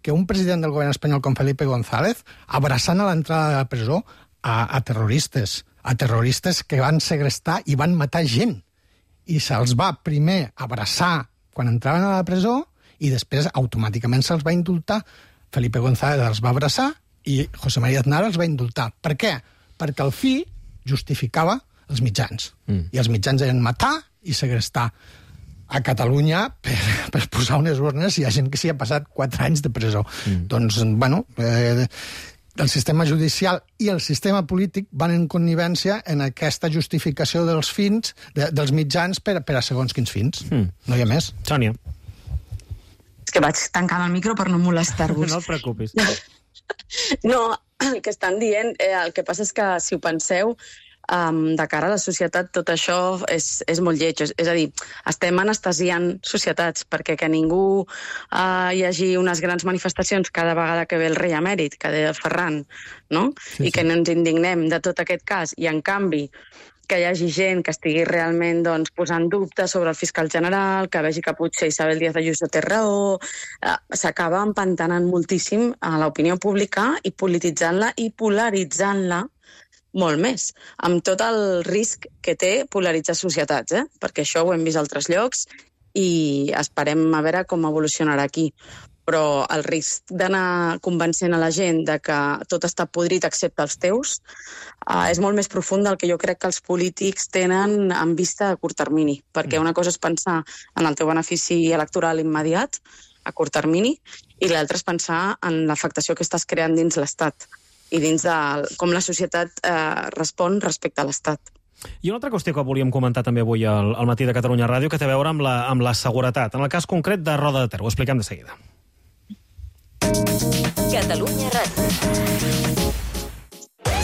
que un president del govern espanyol com Felipe González abraçant a l'entrada de la presó a, a terroristes, a terroristes que van segrestar i van matar gent. I se'ls va primer abraçar quan entraven a la presó i després automàticament se'ls va indultar. Felipe González els va abraçar i José María Aznar els va indultar. Per què? Perquè el fi justificava els mitjans. Mm. I els mitjans eren matar i segrestar. A Catalunya, per, per posar unes urnes, hi ha gent que s'hi ha passat quatre anys de presó. Mm. Doncs, bueno, eh, el sistema judicial i el sistema polític van en connivència en aquesta justificació dels fins, de, dels mitjans per, per a segons quins fins. Mm. No hi ha més. Sònia. És que vaig tancant el micro per no molestar-vos. No et preocupis. No, el que estan dient, eh, el que passa és que, si ho penseu, Um, de cara a la societat, tot això és, és molt lleig. És, és a dir, estem anestesiant societats perquè que ningú uh, hi hagi unes grans manifestacions cada vegada que ve el rei emèrit, que deia Ferran, no? Sí, I que sí. no ens indignem de tot aquest cas. I, en canvi, que hi hagi gent que estigui realment doncs, posant dubtes sobre el fiscal general, que vegi que potser Isabel Díaz Ayuso té raó, uh, s'acaba empantanant moltíssim a l'opinió pública i polititzant-la i polaritzant-la molt més, amb tot el risc que té polaritzar societats, eh? Perquè això ho hem vist a altres llocs i esperem a veure com evolucionarà aquí. Però el risc d'anar convencent a la gent de que tot està podrit excepte els teus eh, és molt més profund del que jo crec que els polítics tenen en vista a curt termini. Perquè una cosa és pensar en el teu benefici electoral immediat, a curt termini, i l'altra és pensar en l'afectació que estàs creant dins l'Estat i dins de com la societat eh, respon respecte a l'Estat. I una altra qüestió que volíem comentar també avui al, al matí de Catalunya Ràdio, que té a veure amb la, amb la seguretat. En el cas concret de Roda de Ter, ho expliquem de seguida. Catalunya Ràdio.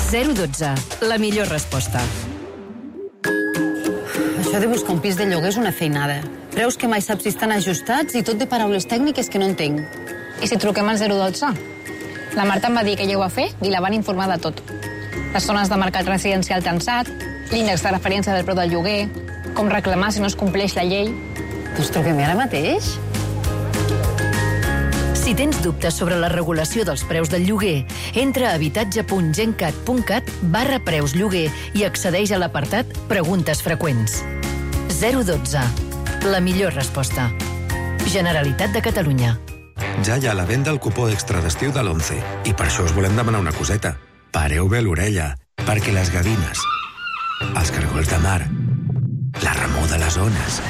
zero dotze. La millor resposta. Això de buscar un pis de lloguer és una feinada. Preus que mai saps si estan ajustats i tot de paraules tècniques que no entenc. I si truquem al zero dotze? La Marta em va dir que ella ho va fer i la van informar de tot. Les zones de mercat residencial tensat, l'índex de referència del preu del lloguer, com reclamar si no es compleix la llei. Doncs truquem ara mateix. Si tens dubtes sobre la regulació dels preus del lloguer, entra a habitatge punt gencat punt cat barra preus lloguer i accedeix a l'apartat Preguntes freqüents. zero dotze. La millor resposta. Generalitat de Catalunya. Ja hi ha a la venda el cupó extra d'estiu de l'onze i per això us volem demanar una coseta. Pareu bé l'orella, perquè les gavines, els cargols de mar, la remor de les ones,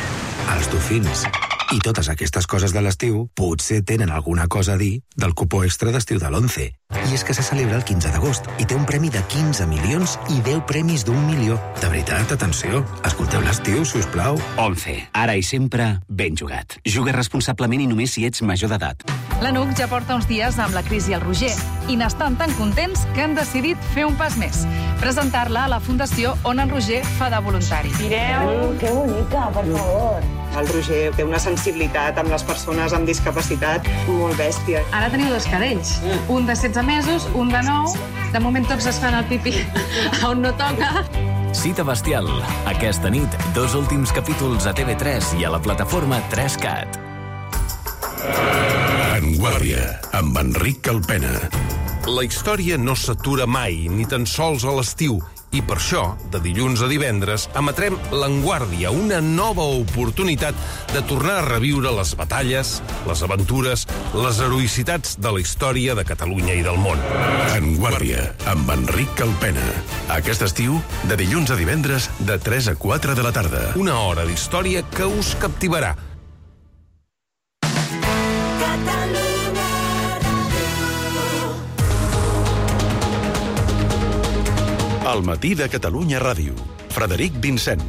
els dofins i totes aquestes coses de l'estiu potser tenen alguna cosa a dir del cupó extra d'estiu de l'onze. I és que se celebra el quinze d'agost i té un premi de quinze milions i deu premis d'un milió. De veritat, atenció, escolteu l'estiu, si us plau. onze. Ara i sempre, ben jugat. Juga responsablement i només si ets major d'edat. La N U C ja porta uns dies amb la Cris i el Roger i n'estan tan contents que han decidit fer un pas més. Presentar-la a la Fundació on en Roger fa de voluntari. Mireu, que bonica, per favor. El Roger té una sensibilitat amb les persones amb discapacitat molt bèstia. Ara teniu dos cadells, un de setze mesos, un de nou. De moment tots es fan el pipí on no toca. Cita bestial. Aquesta nit, dos últims capítols a T V tres i a la plataforma tres cat. En Guàrdia, amb Enric Calpena. La història no s'atura mai, ni tan sols a l'estiu. I per això, de dilluns a divendres, emetrem l'Enguàrdia, una nova oportunitat de tornar a reviure les batalles, les aventures, les heroïcitats de la història de Catalunya i del món. Enguàrdia, amb Enric Calpena. Aquest estiu, de dilluns a divendres, de tres a quatre de la tarda. Una hora d'història que us captivarà. Al matí de Catalunya Ràdio. Frederic Vincent.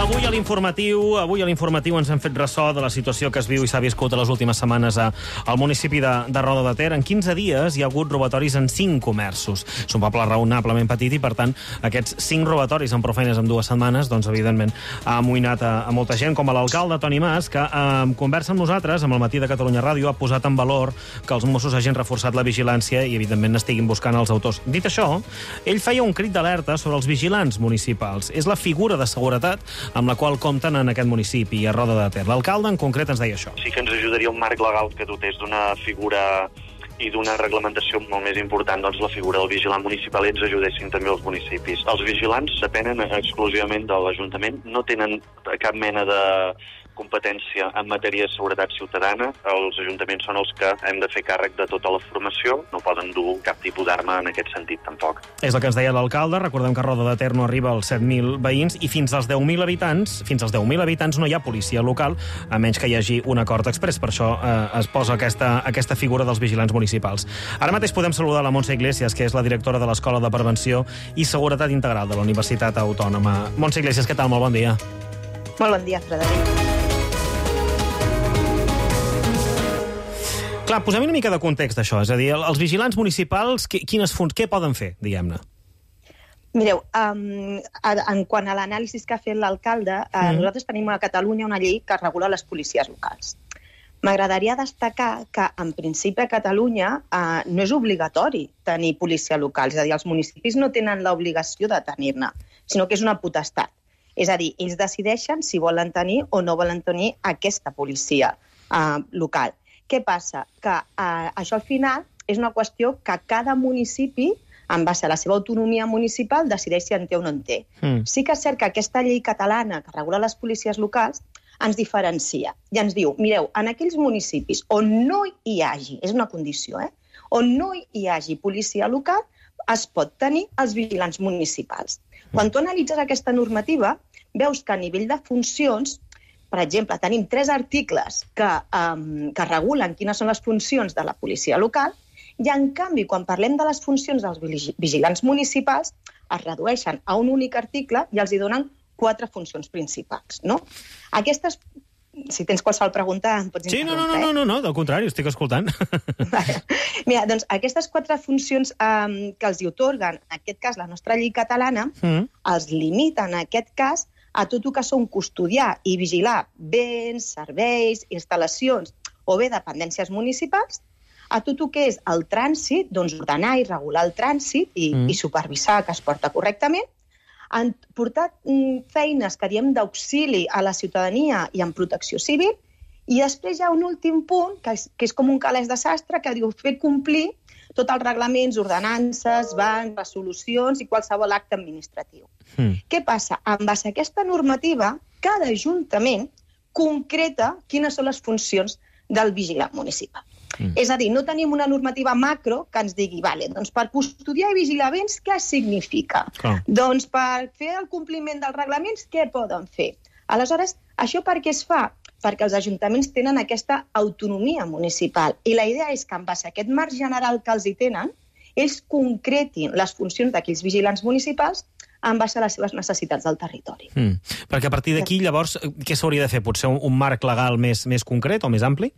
Avui a l'informatiu, avui a l'informatiu ens hem fet ressò de la situació que es viu i s'ha viscut a les últimes setmanes a, al municipi de, de Roda de Ter. En quinze dies hi ha hagut robatoris en cinc comerços. És un poble raonablement petit i, per tant, aquests cinc robatoris en prou feines en dues setmanes, doncs, evidentment, ha amoïnat a, a molta gent, com a l'alcalde Toni Mas, que eh, conversa amb nosaltres, amb el matí de Catalunya Ràdio, ha posat en valor que els Mossos hagin reforçat la vigilància i, evidentment, estiguin buscant els autors. Dit això, ell feia un crit d'alerta sobre els vigilants municipals. És la figura de seguretat amb la qual compten en aquest municipi, a Roda de Ter. L'alcalde, en concret, ens deia això. Sí que ens ajudaria un marc legal que dotés d'una figura i d'una reglamentació molt més important, doncs la figura del vigilant municipal, i ens ajudessin també els municipis. Els vigilants depenen exclusivament de l'Ajuntament, no tenen cap mena de competència en matèria de seguretat ciutadana. Els ajuntaments són els que hem de fer càrrec de tota la formació, no poden dur cap tipus d'arma en aquest sentit tampoc. És el que ens deia l'alcalde. Recordem que a Roda de Ter no arriba als set mil veïns i fins als deu mil habitants, fins als deu mil habitants no hi ha policia local, a menys que hi hagi un acord express. Per això eh, es posa aquesta, aquesta figura dels vigilants municipals. Ara mateix podem saludar la Montse Iglesias, que és la directora de l'Escola de Prevenció i Seguretat Integral de la Universitat Autònoma. Montse Iglesias, què tal? Molt bon dia. Molt bon dia, Frederic. Clar, posem una mica de context d'això. És a dir, els vigilants municipals, quines fun- què poden fer, diguem-ne? Mireu, um, en quant a l'anàlisi que ha fet l'alcalde, uh, mm. nosaltres tenim a Catalunya una llei que regula les policies locals. M'agradaria destacar que, en principi, a Catalunya uh, no és obligatori tenir policia local. És a dir, els municipis no tenen l'obligació de tenir-ne, sinó que és una potestat. És a dir, ells decideixen si volen tenir o no volen tenir aquesta policia uh, local. Què passa? Que eh, això al final és una qüestió que cada municipi, en base a la seva autonomia municipal, decideix si en té o no en té. Mm. Sí que és cert que aquesta llei catalana que regula les policies locals ens diferencia i ens diu, mireu, en aquells municipis on no hi hagi, és una condició, eh? on no hi hagi policia local, es pot tenir els vigilants municipals. Mm. Quan tu analitzes aquesta normativa, veus que a nivell de funcions, per exemple, tenim tres articles que, um, que regulen quines són les funcions de la policia local i, en canvi, quan parlem de les funcions dels vigilants municipals, es redueixen a un únic article i els hi donen quatre funcions principals, no? Aquestes, si tens qualsevol pregunta, em pots sí, interrompre. Sí, no, no, no, no, del contrari, estic escoltant. Mira, doncs aquestes quatre funcions um, que els hi otorguen, en aquest cas la nostra llei catalana, mm. els limiten, en aquest cas, a tot el que són custodiar i vigilar béns, serveis, instal·lacions o bé dependències municipals, a tot el que és el trànsit, doncs ordenar i regular el trànsit i, mm. i supervisar que es porta correctament, han portat mm, feines que diem d'auxili a la ciutadania i en protecció civil, i després hi ha un últim punt, que és, que és com un calaix de sastre, que diu fer complir tots els reglaments, ordenances, bans, resolucions i qualsevol acte administratiu. Mm. Què passa? En base a aquesta normativa, cada ajuntament concreta quines són les funcions del vigilant municipal. Mm. És a dir, no tenim una normativa macro que ens digui, vale, doncs per custodiar i vigilar béns, què significa? Oh. Doncs per fer el compliment dels reglaments, què poden fer? Aleshores, això per què es fa? Perquè els ajuntaments tenen aquesta autonomia municipal. I la idea és que, en base a aquest marc general que els hi tenen, ells concretin les funcions d'aquells vigilants municipals en base a les seves necessitats del territori. Mm. Perquè a partir d'aquí, llavors, què s'hauria de fer? Potser un, un marc legal més, més concret o més ampli?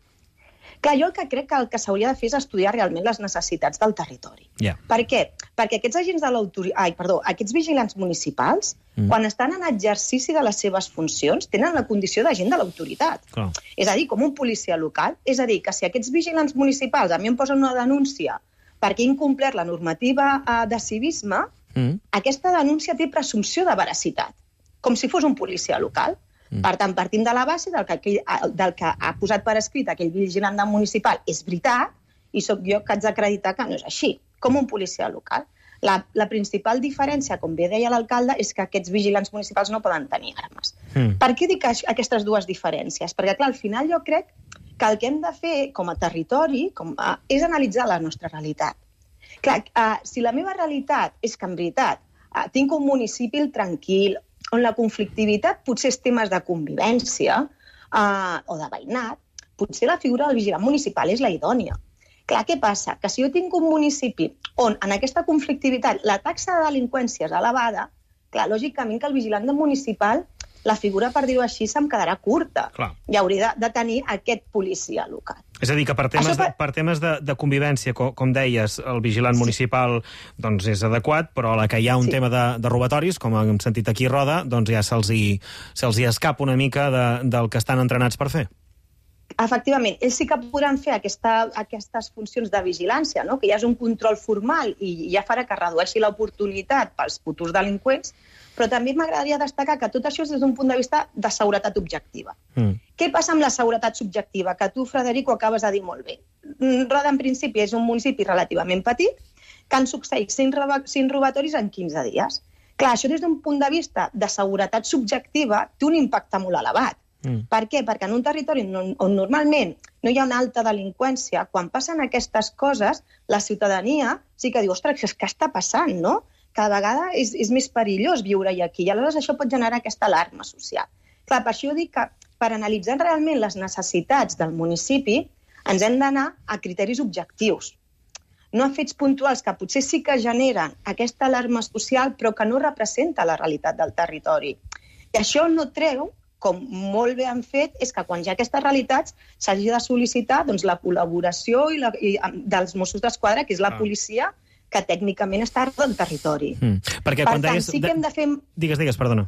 Clar, jo el que crec que el que s'hauria de fer és estudiar realment les necessitats del territori. Yeah. Per què? Perquè aquests agents de l'autoritat, ai, perdó, aquests vigilants municipals, mm. quan estan en exercici de les seves funcions, tenen la condició d'agent de l'autoritat. Oh. És a dir, com un policia local. És a dir, que si aquests vigilants municipals a mi em posen una denúncia perquè he incomplert la normativa eh, de civisme, mm. aquesta denúncia té presumpció de veracitat, com si fos un policia local. Mm. Per tant, partim de la base del que, aquell, del que ha posat per escrit aquell vigilant municipal és veritat, i sóc jo que haig d'acreditar que no és així, com un policia local. La, la principal diferència, com bé deia l'alcalde, és que aquests vigilants municipals no poden tenir armes. Mm. Per què dic aquestes dues diferències? Perquè, clar, al final jo crec que el que hem de fer com a territori com a, és analitzar la nostra realitat. Clar, uh, si la meva realitat és que, en veritat, uh, tinc un municipi tranquil, on la conflictivitat potser és temes de convivència uh, o de veïnat, potser la figura del vigilant municipal és la idònia. Clar, què passa? Que si jo tinc un municipi on en aquesta conflictivitat la taxa de delinqüència és elevada, clar, lògicament que el vigilant municipal, la figura, per dir-ho així, se'm quedarà curta. Clar. I hauria de, de tenir aquest policia local. És a dir, que per temes, per... De, per temes de, de convivència, com, com deies, el vigilant sí. municipal doncs, és adequat, però a la que hi ha un sí. tema de, de robatoris, com hem sentit aquí a Roda, doncs ja se'ls hi, se'ls hi escapa una mica de, del que estan entrenats per fer. Efectivament, ells sí que podran fer aquesta, aquestes funcions de vigilància, no? Que ja és un control formal i ja farà que redueixi l'oportunitat pels futurs delinqüents, però també m'agradaria destacar que tot això és des d'un punt de vista de seguretat objectiva. Mm. Què passa amb la seguretat subjectiva? Que tu, Frederic, ho acabes de dir molt bé. Roda, en principi, és un municipi relativament petit que han succeït cinc robatoris en quinze dies. Clar, això des d'un punt de vista de seguretat subjectiva té un impacte molt elevat. Mm. Per què? Perquè en un territori on, on normalment no hi ha una alta delinqüència, quan passen aquestes coses, la ciutadania sí que diu, ostres, què està passant, no? Cada vegada és, és més perillós viure-hi aquí, i aleshores això pot generar aquesta alarma social. Clar, per això jo dic que per analitzar realment les necessitats del municipi ens hem d'anar a criteris objectius, no a fets puntuals que potser sí que generen aquesta alarma social però que no representa la realitat del territori. I això no treu, com molt bé han fet, és que quan hi ha aquestes realitats s'hagi de sol·licitar doncs, la col·laboració i la, i, dels Mossos d'Esquadra, que és la ah. policia que tècnicament està del territori. Mm. Perquè per quan tant, deies... sí que hem de fer... Digues, digues, perdona.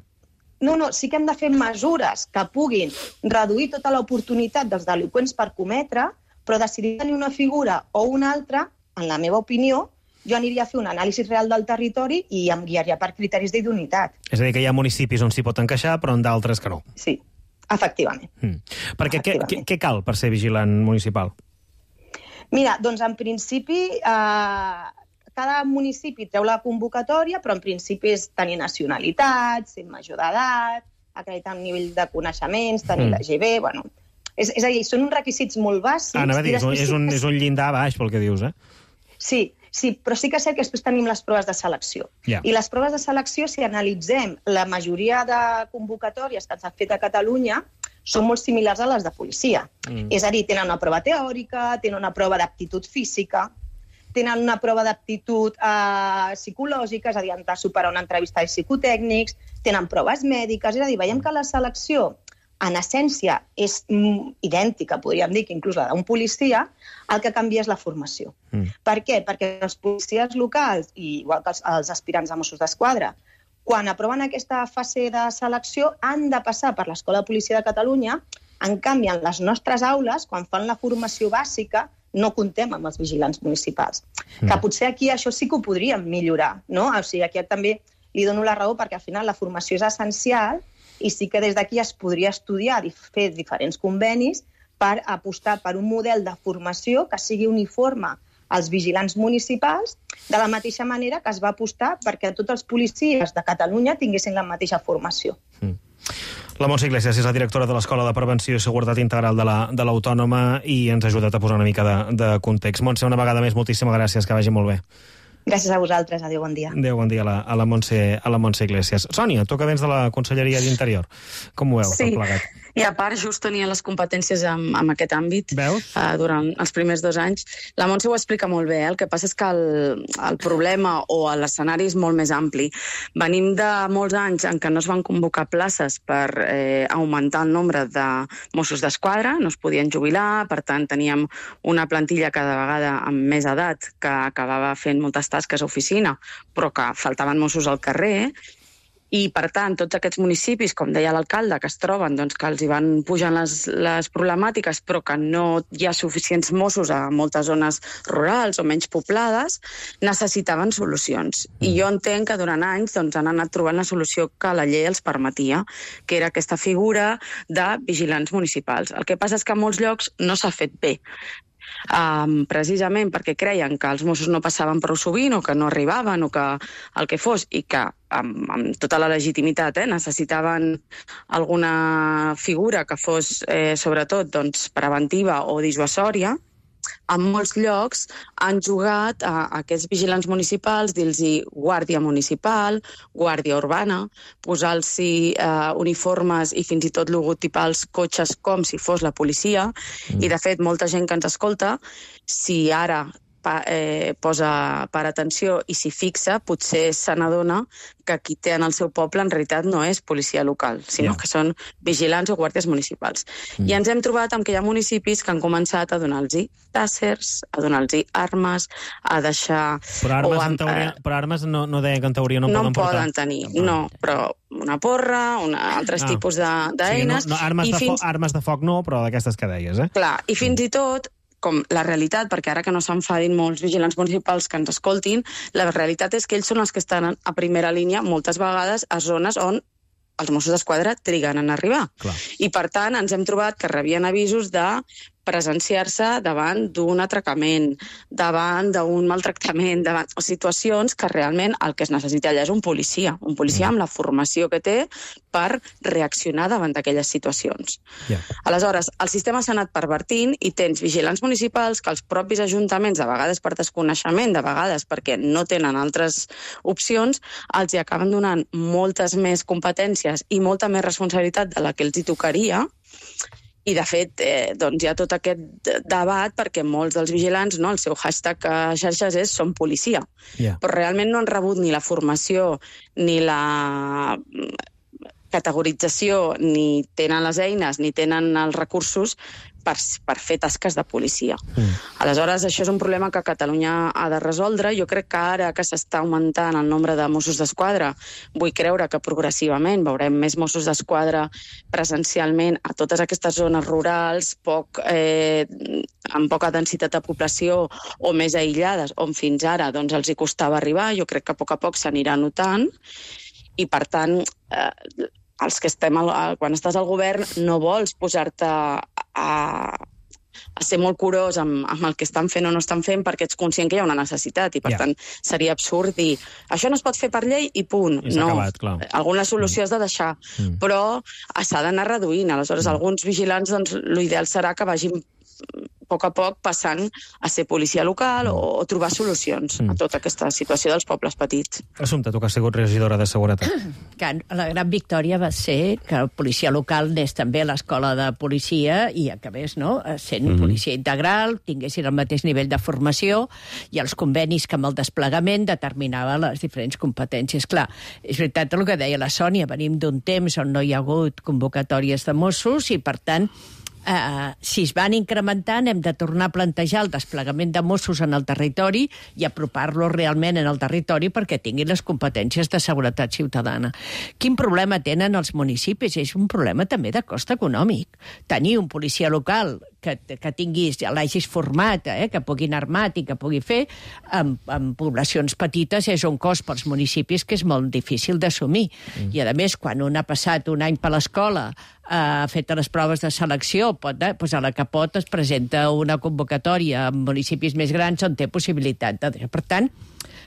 No, no, sí que hem de fer mesures que puguin reduir tota l'oportunitat dels delinqüents per cometre, però decidir tenir una figura o una altra, en la meva opinió, jo aniria a fer un anàlisi real del territori i em guiaria per criteris d'idoneïtat. És a dir, que hi ha municipis on s'hi pot encaixar, però en d'altres que no. Sí, efectivament. Mm. Perquè efectivament. Què, què cal per ser vigilant municipal? Mira, doncs en principi... Eh, cada municipi treu la convocatòria, però en principi és tenir nacionalitat, ser major d'edat, acreditar un nivell de coneixements, tenir mm. la G B, bueno... És, és a dir, són uns requisits molt bàsics... Ah, anava a dir, és un, és, un, és un llindar baix, pel que dius, eh? Sí, sí, però sí que sé que després tenim les proves de selecció. Yeah. I les proves de selecció, si analitzem la majoria de convocatòries que s'han fet a Catalunya, són molt similars a les de policia. Mm. És a dir, tenen una prova teòrica, tenen una prova d'aptitud física, tenen una prova d'aptitud eh, psicològica, és a dir, han de superar una entrevista de psicotècnics, tenen proves mèdiques, és a dir, veiem que la selecció en essència és mm, idèntica, podríem dir que inclús la d'un policia, el que canvia és la formació. Mm. Per què? Perquè els policies locals, i igual que els, els aspirants a Mossos d'Esquadra, quan aproven aquesta fase de selecció han de passar per l'Escola de Policia de Catalunya. En canvi, en les nostres aules, quan fan la formació bàsica, no comptem amb els vigilants municipals. Mm. Que potser aquí això sí que ho podríem millorar, no? O sigui, aquí també li dono la raó perquè al final la formació és essencial i sí que des d'aquí es podria estudiar i fer diferents convenis per apostar per un model de formació que sigui uniforme als vigilants municipals, de la mateixa manera que es va apostar perquè tots els policies de Catalunya tinguessin la mateixa formació. Mm. La Montse Iglesias és la directora de l'Escola de Prevenció i Seguretat Integral de la, de l'Autònoma i ens ha ajudat a posar una mica de, de context. Montse, una vegada més, moltíssimes gràcies, que vagi molt bé. Gràcies a vosaltres, adéu, bon dia. Adéu, bon dia a la, a la, Montse, a la Montse Iglesias. Sònia, tu que vens de la Conselleria d'Interior, com ho veus, sí. tot plegat? I a part, just tenia les competències en, en aquest àmbit uh, durant els primers dos anys. La Montse ho explica molt bé, eh? El que passa és que el, el problema o l'escenari és molt més ampli. Venim de molts anys en què no es van convocar places per eh, augmentar el nombre de Mossos d'Esquadra, no es podien jubilar, per tant teníem una plantilla cada vegada amb més edat que acabava fent moltes tasques a oficina, però que faltaven Mossos al carrer. I, per tant, tots aquests municipis, com deia l'alcalde, que es troben, doncs, que els hi van pujant les, les problemàtiques, però que no hi ha suficients Mossos a moltes zones rurals o menys poblades, necessitaven solucions. I jo entenc que durant anys doncs, han anat trobant la solució que la llei els permetia, que era aquesta figura de vigilants municipals. El que passa és que en molts llocs no s'ha fet bé. Um, precisament perquè creien que els Mossos no passaven prou sovint o que no arribaven o que el que fos i que amb, amb tota la legitimitat eh, necessitaven alguna figura que fos eh, sobretot doncs, preventiva o dissuasòria. En molts llocs han jugat a, a aquests vigilants municipals, dir-los guàrdia municipal, guàrdia urbana, posar-los eh, uniformes i fins i tot logotipar els cotxes com si fos la policia. Mm. I, de fet, molta gent que ens escolta, si ara pa, eh, posa per atenció i s'hi fixa, potser se n'adona que qui té en el seu poble en realitat no és policia local, sinó yeah. que són vigilants o guàrdies municipals. Mm. I ens hem trobat amb que hi ha municipis que han començat a donar-los tàssers, a donar-los armes, a deixar... Però armes, o, en teoria, però armes no, no deia que en teoria no, no poden portar. No poden tenir, no, però una porra, una, altres ah. tipus d'eines... Sí, no, no, armes, de fins... fo armes de foc no, però d'aquestes que deies, eh? Clar, i fins mm. i tot com la realitat, perquè ara que no s'enfadin molts vigilants municipals que ens escoltin, la realitat és que ells són els que estan a primera línia moltes vegades a zones on els Mossos d'Esquadra triguen en arribar. Clar. I, per tant, ens hem trobat que rebien avisos de presenciar-se davant d'un atracament, davant d'un maltractament, davant situacions que realment el que es necessita allà és un policia, un policia amb la formació que té per reaccionar davant d'aquelles situacions. Yeah. Aleshores, el sistema s'ha anat pervertint i tens vigilants municipals que els propis ajuntaments, de vegades per desconeixement, de vegades perquè no tenen altres opcions, els hi acaben donant moltes més competències i molta més responsabilitat de la que els hi tocaria. I, de fet, eh, doncs hi ha tot aquest debat perquè molts dels vigilants, no, el seu hashtag a xarxes és som policia. Yeah. Però realment no han rebut ni la formació ni la categorització, ni tenen les eines, ni tenen els recursos per, per fer tasques de policia. Mm. Aleshores, això és un problema que Catalunya ha de resoldre. Jo crec que ara que s'està augmentant el nombre de Mossos d'Esquadra, vull creure que progressivament veurem més Mossos d'Esquadra presencialment a totes aquestes zones rurals, poc, eh, amb poca densitat de població o més aïllades, on fins ara doncs, els hi costava arribar. Jo crec que a poc a poc s'anirà notant i, per tant, eh, els que estem al, quan estàs al govern no vols posar-te a, a ser molt curós amb, amb el que estan fent o no estan fent perquè ets conscient que hi ha una necessitat i, per yeah. tant, seria absurd dir això no es pot fer per llei i punt. I s'ha no. acabat, clar. Alguna solució mm. has de deixar, mm. però s'ha d'anar reduint. Aleshores, mm. alguns vigilants, doncs, l'ideal serà que vagin poc a poc passant a ser policia local o, o trobar solucions mm. a tota aquesta situació dels pobles petits. Assumpta, tu que has sigut regidora de Seguretat. Que la gran victòria va ser que el policia local anés també a l'escola de policia i acabés, no?, sent mm-hmm. policia integral, tinguessin el mateix nivell de formació i els convenis que amb el desplegament determinava les diferents competències. Clar, és veritat el que deia la Sònia, venim d'un temps on no hi ha hagut convocatòries de Mossos i, per tant, Uh, si es van incrementant, hem de tornar a plantejar el desplegament de Mossos en el territori i apropar-los realment en el territori perquè tinguin les competències de seguretat ciutadana. Quin problema tenen els municipis? És un problema també de cost econòmic. Tenir un policia local que, que tinguis, ja l'hagis format, eh, que pugui anar armat i que pugui fer, en, en poblacions petites és un cost pels municipis que és molt difícil d'assumir. Mm. I, a més, quan un ha passat un any per l'escola, ha fet les proves de selecció, pot, eh, doncs a la que pot es presenta una convocatòria en municipis més grans on té possibilitat de... Per tant,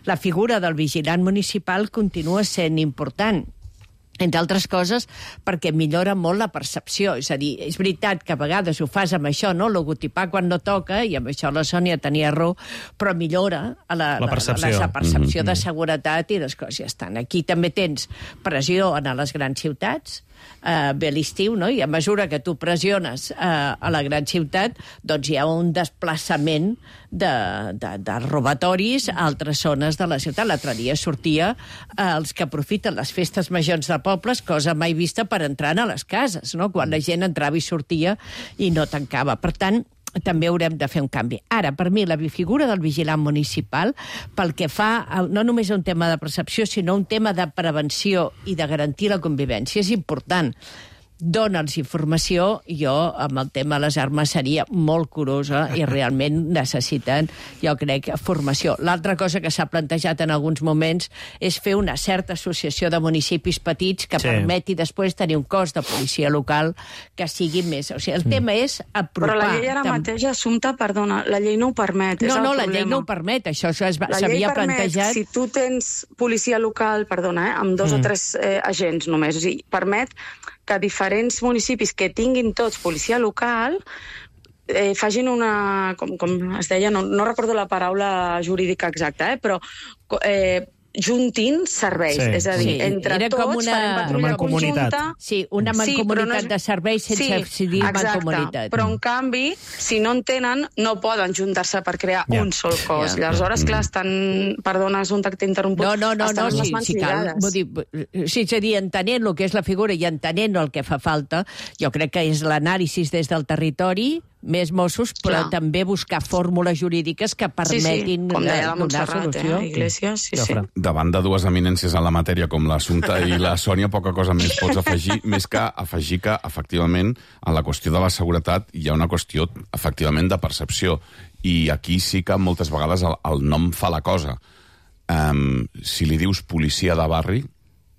la figura del vigilant municipal continua sent important, entre altres coses, perquè millora molt la percepció. És a dir, és veritat que a vegades ho fas amb això, no?, logotipar quan no toca, i amb això la Sònia tenia raó, però millora a la, la percepció, la, la, la percepció mm-hmm. de seguretat i les coses ja estan. Aquí també tens pressió en les grans ciutats, Uh, ve l'estiu, no?, i a mesura que tu pressiones uh, a la gran ciutat, doncs hi ha un desplaçament de, de, de robatoris a altres zones de la ciutat. L'altre dia sortia uh, els que aprofiten les festes majors de pobles, cosa mai vista, per entrar a les cases, no?, quan la gent entrava i sortia i no tancava. Per tant, també haurem de fer un canvi. Ara, per mi, la figura del vigilant municipal, pel que fa a, no només a un tema de percepció, sinó un tema de prevenció i de garantir la convivència, és important. Dóna'ls informació. Jo, amb el tema de les armes, seria molt curosa i realment necessiten, jo crec, formació. L'altra cosa que s'ha plantejat en alguns moments és fer una certa associació de municipis petits que sí. permeti després tenir un cos de policia local que sigui més... O sigui, el tema és apropar... Però la llei ara tam... mateix, Assumpta, perdona, la llei no ho permet. No, no, la problema. llei no ho permet. Això s'havia plantejat... Si tu tens policia local, perdona, eh, amb dos mm. o tres eh, agents només, o sigui, permet que diferents municipis que tinguin tots policia local eh, facin una... Com, com es deia, no, no recordo la paraula jurídica exacta, eh, però... Eh, juntin serveis, sí, és a dir, sí. entre Era tots una... farem patrulla conjunta. Sí, una mancomunitat sí, no és... de serveis sense sí, dir mancomunitat. Però en canvi, si no en tenen, no poden juntar-se per crear ja. un sol cos. Ja. Aleshores, clar, estan... Perdona, és un tacte interromput. No, no, no, estan no sí, sí, cal. Dir, sí, és a dir, entenent el que és la figura i entenent el que fa falta, jo crec que és l'anàlisi des del territori, més Mossos, però clar. també buscar fórmules jurídiques que permetin sí, sí. Com deia la donar solució. Eh, Iglesias, sí, sí. Davant de dues eminències en la matèria com l'Assumpta i la Sònia, poca cosa més pots afegir, més que afegir que, efectivament, en la qüestió de la seguretat hi ha una qüestió, efectivament, de percepció. I aquí sí que moltes vegades el, el nom fa la cosa. Um, si li dius policia de barri,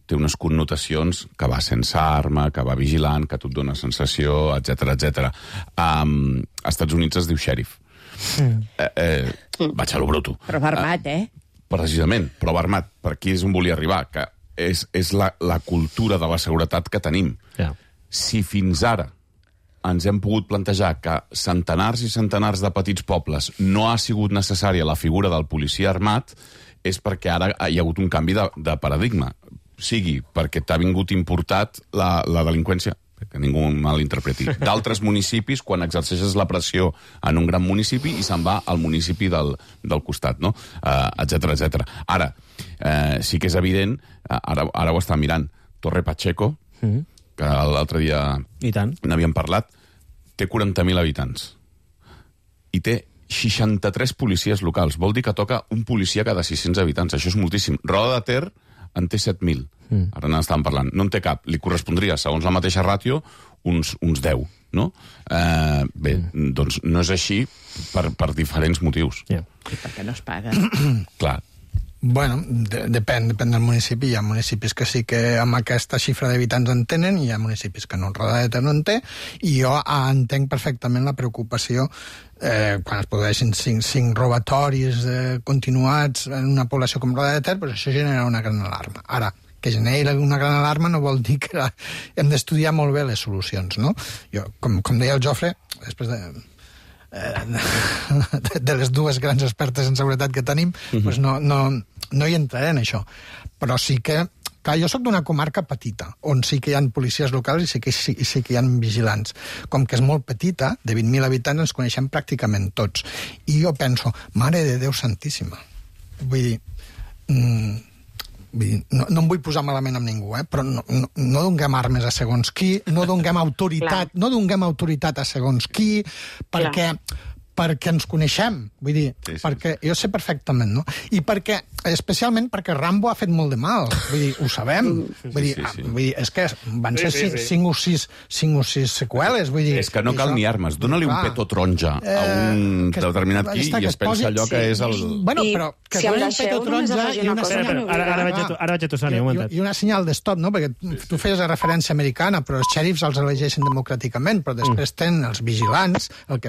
té unes connotacions que va sense arma, que va vigilant, que tu et dona sensació, etcètera, etcètera. Um, als Estats Units es diu xèrif. Mm. Eh, eh, vaig a lo bruto. Però va armat, eh? Precisament, però va armat. Per aquí és on volia arribar, que és, és la, la cultura de la seguretat que tenim. Yeah. Si fins ara ens hem pogut plantejar que centenars i centenars de petits pobles no ha sigut necessària la figura del policia armat, és perquè ara hi ha hagut un canvi de, de paradigma. Sigui perquè t'ha vingut importat la, la delinqüència, que ningú malinterpreti, d'altres municipis quan exerceixes la pressió en un gran municipi i se'n va al municipi del, del costat, no? Uh, etcètera, etcètera. Ara, uh, sí que és evident, uh, ara, ara ho està mirant, Torre Pacheco, mm-hmm. que l'altre dia n'havíem parlat, té quaranta mil habitants i té seixanta-tres policies locals. Vol dir que toca un policia cada sis-cents habitants. Això és moltíssim. Roda de Ter en té set mil. Mm. Ara n'estàvem parlant. No en té cap. Li correspondria, segons la mateixa ràtio, uns, uns deu. No? Eh, bé, mm. doncs no és així per, per diferents motius. Yeah. I perquè no es paga. Clar. Bueno, de, depèn, depèn del municipi. Hi ha municipis que sí que amb aquesta xifra d'habitants en tenen, i hi ha municipis que no, Roda de Ter no en té, i jo entenc perfectament la preocupació eh, quan es produeixen cinc, cinc robatoris eh, continuats en una població com Roda de Ter, doncs això genera una gran alarma. Ara, que generi una gran alarma no vol dir que hem d'estudiar molt bé les solucions, no? Jo, com, com deia el Jofre, després de... eh, de les dues grans expertes en seguretat que tenim, uh-huh. doncs no, no, no hi entraré en això. Però sí que, clar, jo sóc d'una comarca petita, on sí que hi ha policies locals i sí que, sí, sí que hi ha vigilants. Com que és molt petita, de vint mil habitants, ens coneixem pràcticament tots. I jo penso, mare de Déu santíssima. Vull dir, mm, vull dir no, no em vull posar malament amb ningú, eh? Però no, no, no donem armes a segons qui, no donem autoritat, no donem autoritat a segons qui, perquè... perquè ens coneixem, vull dir, sí, sí. perquè jo sé perfectament, no? I perquè, especialment perquè Rambo ha fet molt de mal, vull dir, ho sabem, sí, vull dir, sí, sí. vull dir és que van sí, ser sí, sí. cinc o sis, cinc o sis seqüeles, vull dir... És que no cal això, ni armes, dona-li un petó taronja eh, a un que, determinat qui i es pensa allò sí. que és el... Bueno, però que si doni un petó taronja i una senyal... Ara, ara, vaig a tu, ara vaig a tu, Sònia, un momentet. I una senyal de stop, no? Perquè tu feies la referència americana, però els xèrifs els elegeixen democràticament, però després tenen els vigilants, el que